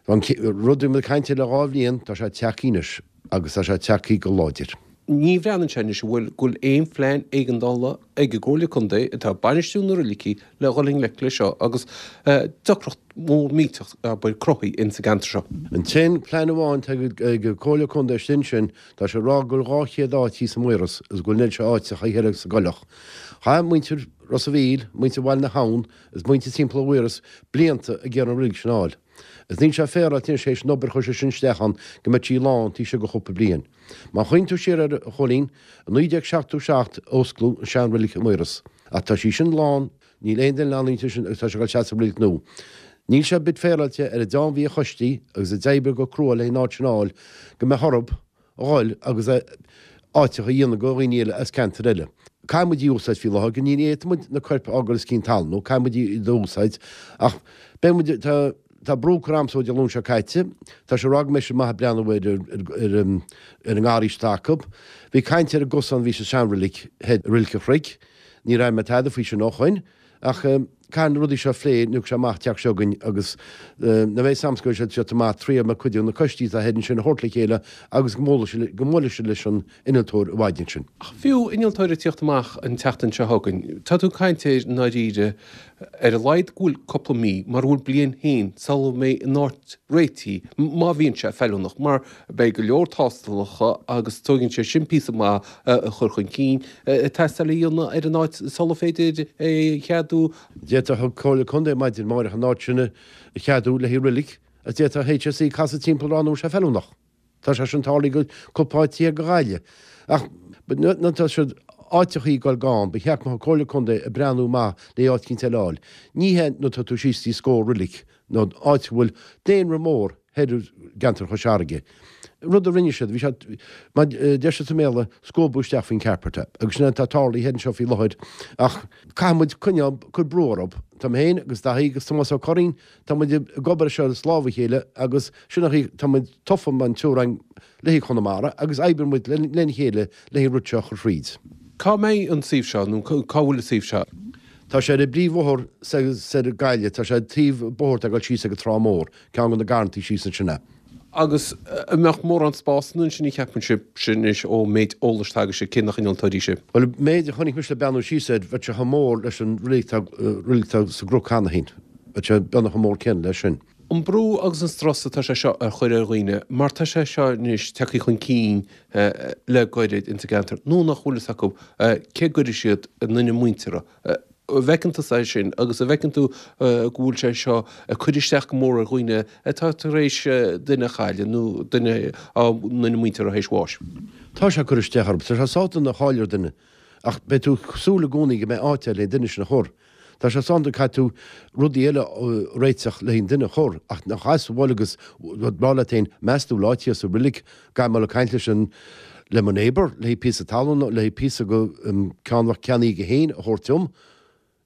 an rud a bhí muid ag caint air le dhá bhliain, tá sé tagtha anois agus tá sé tagtha go láidir. Ní bhreathnaíonn sé anois an bhfuil go bhfuil aon phlean éigeandála ag an gComhairle Contae atá ag bainistiú na roilicí le dhul i ngleic leis seo agus deacracht mhór millteach abair cruthaithe ins an gceantar seo. An t-aon plean amháin atá ag an Comhairle Contae sin sin tá sé ag rá go bhfuil dhá chéad áit thíos i Maoras agus go bhfuil an oiread seo áiteacha thiar sa gCoileach. Chaith muintir Ros a' Mhíl, muintir Bhaile na hAbhann agus muintir timpeall Mhaoras blianta ag iarraidh an roilig sin a fháil. Agus níl sé féaráilte anois théis an obair a chuir sé sin isteach ann go mbeadh sí lán taobh istigh de chúpla bliain. Má chuimhníonn tú siar air, a Chóilín, i naoi déag seachtó seacht a osclaíodh an sean-roilig i Maoras. Ach tá sí sin lán, níl aon duine in ann inti sin agus tá sé ag dul isteach sa roilig nua. Níl sé bit féaráilte ar an dream a bhí ar choistí agus a d'oibrigh go crua le an áit sin a fháil go mbeadh orthu a dhul agus áiteacha a dhéanamh do dhaoine eile as ceantair eile. Caithfidh muid í a úsáid faoi láthair go ní fhéadfaidh muid na coirp a fhágáil os cionn talún, caithfidh muid í a úsáid ach beidh muid, tá Tá brú curtha ormsa ó Dé Luain seo caite. Tá sé ag rá go mbeidh siad maith ag breathnú ar ar ar an ngarraí atá acu. Bhí caint ar an gcosán a bhí sa seanreilig thoir i Reilig an Chnoic. Níor airigh mé tada faoi sin ó shoin. Ach caithfidh na rudaí seo a phlé nuair a thiocfaidh sé amach an tseachtain seo chugainn agus nuair a bheidh 's a'msa go bhfuil siad amach triail mé cuid de na coistí atá thoir ansin a thabhairt le chéile agus go mbuailfidh siad leis an innealtóir i bhfaid ansin. Ach fiú innealtóir ag tíocht amach an tseachtain seo chugainn, tá tú ag caint ar i ndáiríre ar a laghad go bhfuil cúpla mí, mara bhfuil bliain féin, sula mbeidh an áit réitithe, má bhíonn sé feiliúnach, mar beidh go leor tástalacha agus tógann sé sin píosa maith a chur chun cinn, ag teastáil a dhéanamh ar an áit sula féidir é a cheadú. D'fhéadfadh an Comhairle Contae maidin amárach an áit sin a cheadú le haghaidh roilig agus d'fhéadfadh HSE casadh timpeall a rá nach bhfuil sé feiliúnach. Tá sé sin tarlaithe go cúpla áit thiar go Ghaillimh. Ach nuair atá siad áiteachaí ag dul gann, ba cheart go mbeadh an Comhairle Contae ag breathnú maith le áit eicínt eile a fháil. Ní hé nuair atá tú síos dtí scór roilig nó áit a bhfuil daonra mór thoir i gceantar Chois Fharraige. Rud a rinne siad, bhí sé, mar a deir siad sa mBéarla, scuabadh isteach faoin carpet é. Agus sin é atá tarlaithe thoir anseo faoi láthair. Ach caithfidh muid coinneáil, cur brú orthu. Tá mé féin agus Daithí agus Tomás Ó Curraoin, tá muid ag obair ar seo as lámh a chéile agus sin an chaoi, tá muid tofa mar an triúr againn le haghaidh Chonamara agus oibreoidh muid lena chéile le haghaidh an rud seo a chur thríd. Cá mbeidh an suíomh seo nó cá bhfuil an suíomh seo? Tá sé ar an bpríomhbhóthar soir go Gaillimh, tá sé taobh bóthair atá ag dul síos ag an Trá Mór, ceann de na garrantaí síos ansin é. Agus an mbeadh mórán spásanna ansin a cheapann sibhse anois ón méid eolais atá agaibhse, cé nach innealtóirí sibh? Bhuel, an méid a chonaic mise le beathnú síos air, bheadh sé chomh mór leis an reilig atá reilig atá sa gCnoc cheana féin. Bheadh sé beagnach chomh mór céanna leis sin. An brú agus an strus atá sé seo a chur ar dhaoine, mar tá sé seo anois tagtha chun cinn le goirid ins an gceantar, nó nach bhfuil fhios acu cé gcuirfidh siad a nduine muinteartha. An bhfeiceann tusa é sin agus an bhfeiceann tú go bhfuil sé seo ag cur isteach go mór ar dhaoine atá tar éis duine a chailleadh nó duine á nduine muinteartha théis bháis? Tá sé ag cur isteach orthu. Tá sé sásta a chailleadh duine ach beidh tú ag súil i gcónaí go mbeidh áit le duine sin a chur. Tá sé sásta caithfidh tú rudaí eile a réiteach le haghaidh an duine a chur ach nach as a bhfuil agus rá leat féin meas tú bhfuil áit thíos sa reilig caithfidh mé dul ag caint leis an le mo neighbour le haghaidh píosa talún le haghaidh píosa go ceann a bheadh ceannaithe aige féin a thabhairt dom.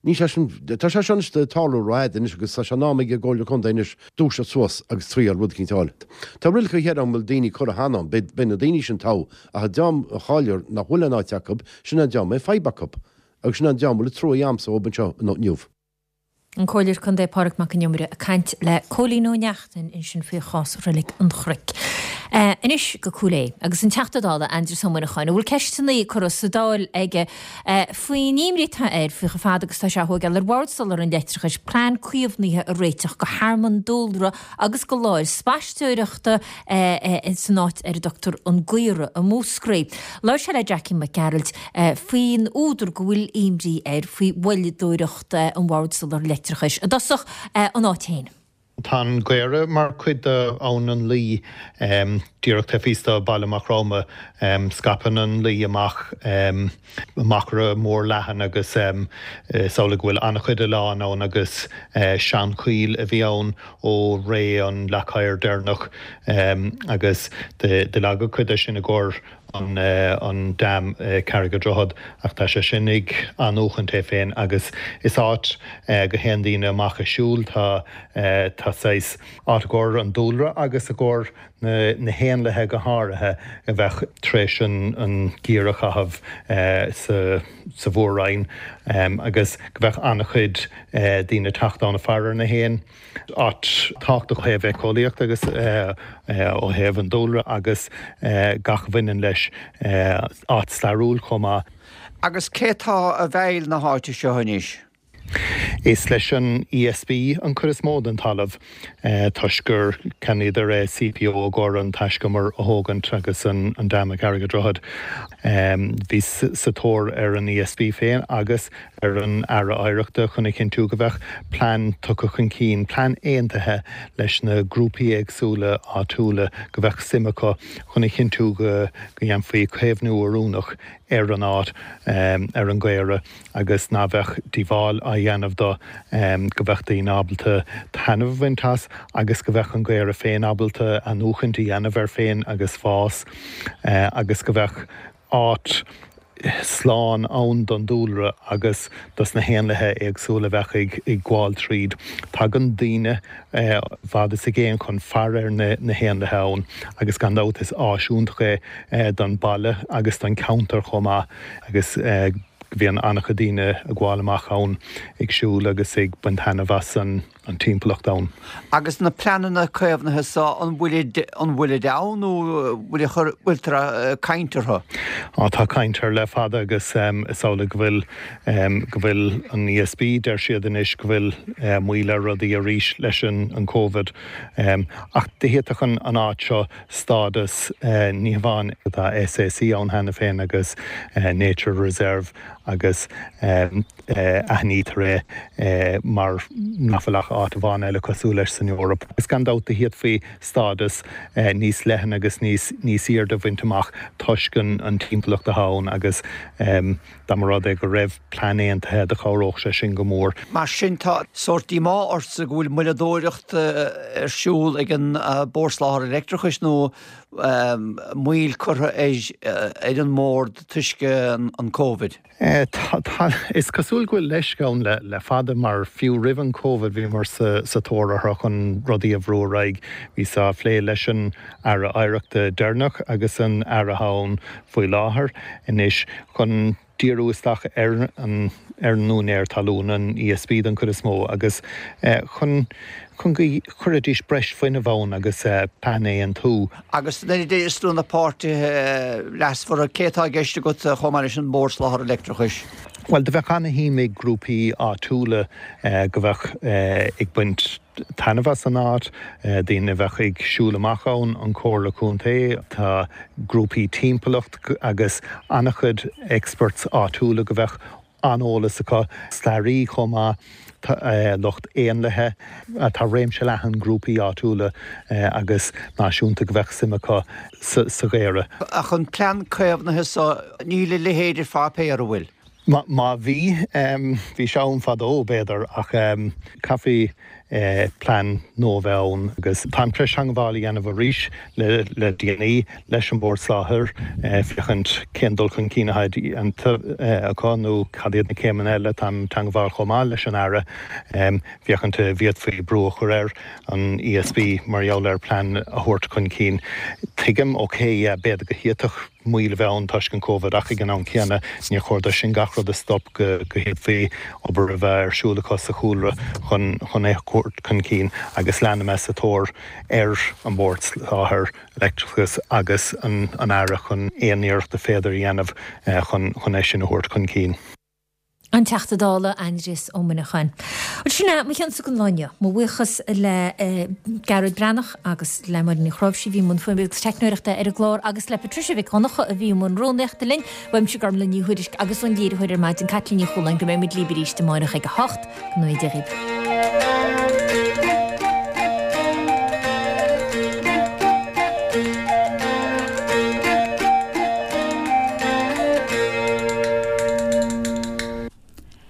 Níl sé sin, tá sé seo anois ag tarlú rófhada anois agus tá sé in am ag an gComhairle Contae anois dúiseacht suas agus triail rud eicínt a fháil. Tá roilig thoir ann a bhfuil daoine curtha cheana ann, beidh, beidh na daoine sin togha ach an dream a chailleadh nach bhfuil aon áit acu, sin an dream a mbeidh fadhb acu agus sin an dream a bhfuil trua a'msa dhób anseo inniu. An Comhairleoir Contae Pádraig Mac Con Iomaire ag caint le Cóilín Ó Neachtain ansin faoi chás Reilig an Chnoic. Anois go Cúil Aodha agus an Teachta Dála Aindrias Ó Muineacháin, a bhfuil ceisteanna curtha sa Dáil aige faoin imní atá air faoi chomh fada agus atá sé á thógáil ar Bhord Soláthair an Leictreachais plean caomhnaithe a réiteach go thearmann dúlra agus go láthair spaisteoireachta san áit ar a dtugtar An Gaora i Múscraí. Labhair sé le Jackie Mac Gearailt faoin údar go bhfuil imní air faoi mhoilleadóireacht an Bhoird Soláthair Leictreachais. I dtosach, an áit féin. Tá an Gaora mar chuid d'Abhainn an Laoi, díreach taobh thíos de Baile Mhac Roma. Scaipeann an Laoi amach machaire mór leathan agus is amhlaidh go bhfuil an-chuid oileán ann agus seanchoill a bhí ann ó ré an Leac Oighir deireanach agus do leagadh cuid de sin i gcomhair an dam Carraig an Droichead ach tá sé sin ag athnuachaint é féin agus is áit go théann daoine amach ag siúl, tá tá saghas áit i gcomhair an dúlra agus i gcomhair na na héanlaithe go háirithe a bheadh tar éis an an geimhreadh a chaitheamh sa sa mhór-roinn agus go bheadh an-chuid daoine ag teacht ann ag faire ar na héin. Áit tábhachtach ó thaobh éiceolaíocht agus ó thaobh an dúlra agus gach a bhaineann leis, áit stairiúil chomh maith. Agus cé atá i bhfeighil na háite seo anois? Is leis an ESB an chuid is mó den talamh toisc gur cheannaíodar é CPO i gcomhair an taiscumar a thógaint agus an dam ag Carraig an Droichid. Bhí sa tóir ar an ESB féin agus ar an Aire Oidhreachta chun a chinntiú go bheadh plean tugtha chun cinn, plean aontaithe leis na grúpaí éagsúla áitiúla go bheadh suim acu chun a chinntiú go ndéanfaí caomhnú oiriúnach ar an áit, ar an gCaora agus ná bheadh díobháil á dhéanamh dó, go bheadh daoine ábalta taitneamh a bhaint as agus go bheadh an Gaora féin ábalta athnuachaint a dhéanamh air féin agus fás agus go bheadh áit slán ann don dúlra agus dos na héanlaithe éagsúla a bheadh ag ag gabháil tríd. Tagann daoine i bhfad is i gcéin chun faire ar na na héanlaithe ann agus gan dabht is áis iontach é don baile agus don cheantar chomh maith agus bíonn an-chuid daoine ag gabháil amach ann ag siúl agus ag baint taitneamh as an an timpeallacht ann. Agus na pleananna caomhnaithe so, an bhfuilid, an bhfuilid ann nó bhfuil, bhfuiltear ag caint orthu? Á, tá caint air le fada agus is amhlaidh go bhfuil, go bhfuil an ESB, deir siad anois go bhfuil moill ar rudaí arís leis an an Covid. Ach d'fhéadfadh an an áit seo stádas, ní hamháin tá SAC ann cheana féin agus Nature Reserve agus aithnítear é mar nach bhfuil ach áit amháin eile cosúil leis san Eoraip. Is gan dabht d'fhéadfaí stádas níos leithne agus níos níos airde a bhaint amach toisc an an timpeallacht atá ann agus dá mba rud é go raibh plean aontaithe do chabhródh sé sin go mór. Mar sin tá sórt díomá ortsa go bhfuil moilleadóireacht ar siúl ag an Bord Soláthair Leictreachais nó moill curtha ar an mbord toisc an Covid? Tá, is cosúil go bhfuil leisce ann le fada mar fiú roimh an Covid bhíomar sa tóir orthu chun rudaí a bhrú ar aghaidh. Bhíos á phlé leis an Aire Oidhreachta deireanach agus an Aire atá ann faoi láthair anois chun díriú isteach ar an ar an úinéir talún, an ESB den chuid is mó, agus chun chun go gcuirfidís breis fuinnimh ann agus plean a aontú. Agus nuair a deir tú na páirtithe leasmhara, cé atá i gceist agat chomh maith leis an Bord Soláthair Leictreachais? Bhuel, do bheadh ana-shuim ag grúpaí áitiúla go bheadh ag baint taitneamh as an áit, daoine a bheadh ag siúl amach ann, an Comhairle Contae, tá grúpaí timpeallacht agus ana-chuid experts áitiúla go bheadh an-eolas acu, staraí chomh maith, lucht éanlaithe, tá réimse leathan grúpaí áitiúla agus náisiúnta go bheadh suim acu sa ghaora. Ach an plean caomhnaithe so, níl a leithéid ar pháipéar, an bhfuil? Má bhí, bhí sé ann fadó, b'fhéidir, ach caithfidh plean nua a bheith ann agus táim tar éis teagmháil a dhéanamh arís le déanaí leis an Bhord Soláthair féachaint cén dul chun cinn atá déanta acu nó cad iad na céimeanna eile. Táim i dteagmháil chomh maith leis an Aire féachaint an bhféadfaí brú a chur ar an ESB mar gheall ar plean a thabhairt chun cinn. Tuigim, ok, yeah, b'fhéidir go bhféadfadh moill a bheith ann toisc an Covid ach ag an am céanna níor chóir dó sin gach rud a stop go bhféadfaí obair a bheith ar siúl acu sa chúlra chun chun é a thabhairt chun cinn agus leanfaidh mé sa tóir ar an Bhord Soláthair Leictreachais agus an an Aire chun aon iarracht a féidir a dhéanamh chun chun é sin a thabhairt chun cinn. An Teachta Dála Aindrias Ó Muineacháin. Bhuel, sin é mo chionsa don lá inniu. Mo bhuíochas le Gearóid Breathnach agus le Máirín Ní Chráimhsí a bhí i mbun fuaime agus teicneoireachta ar an gclár agus le Patricia Mhic Dhonncha a bhí i mbun rúnaíochta linn. Uaimse Gormlaith Ní Thuairisg agus ón léiritheoir ar maidin Caitlín Ní Chualáin go mbeidh muid libh arís amárach ag a hocht. Go ngnóthaí Dia dhaoibh.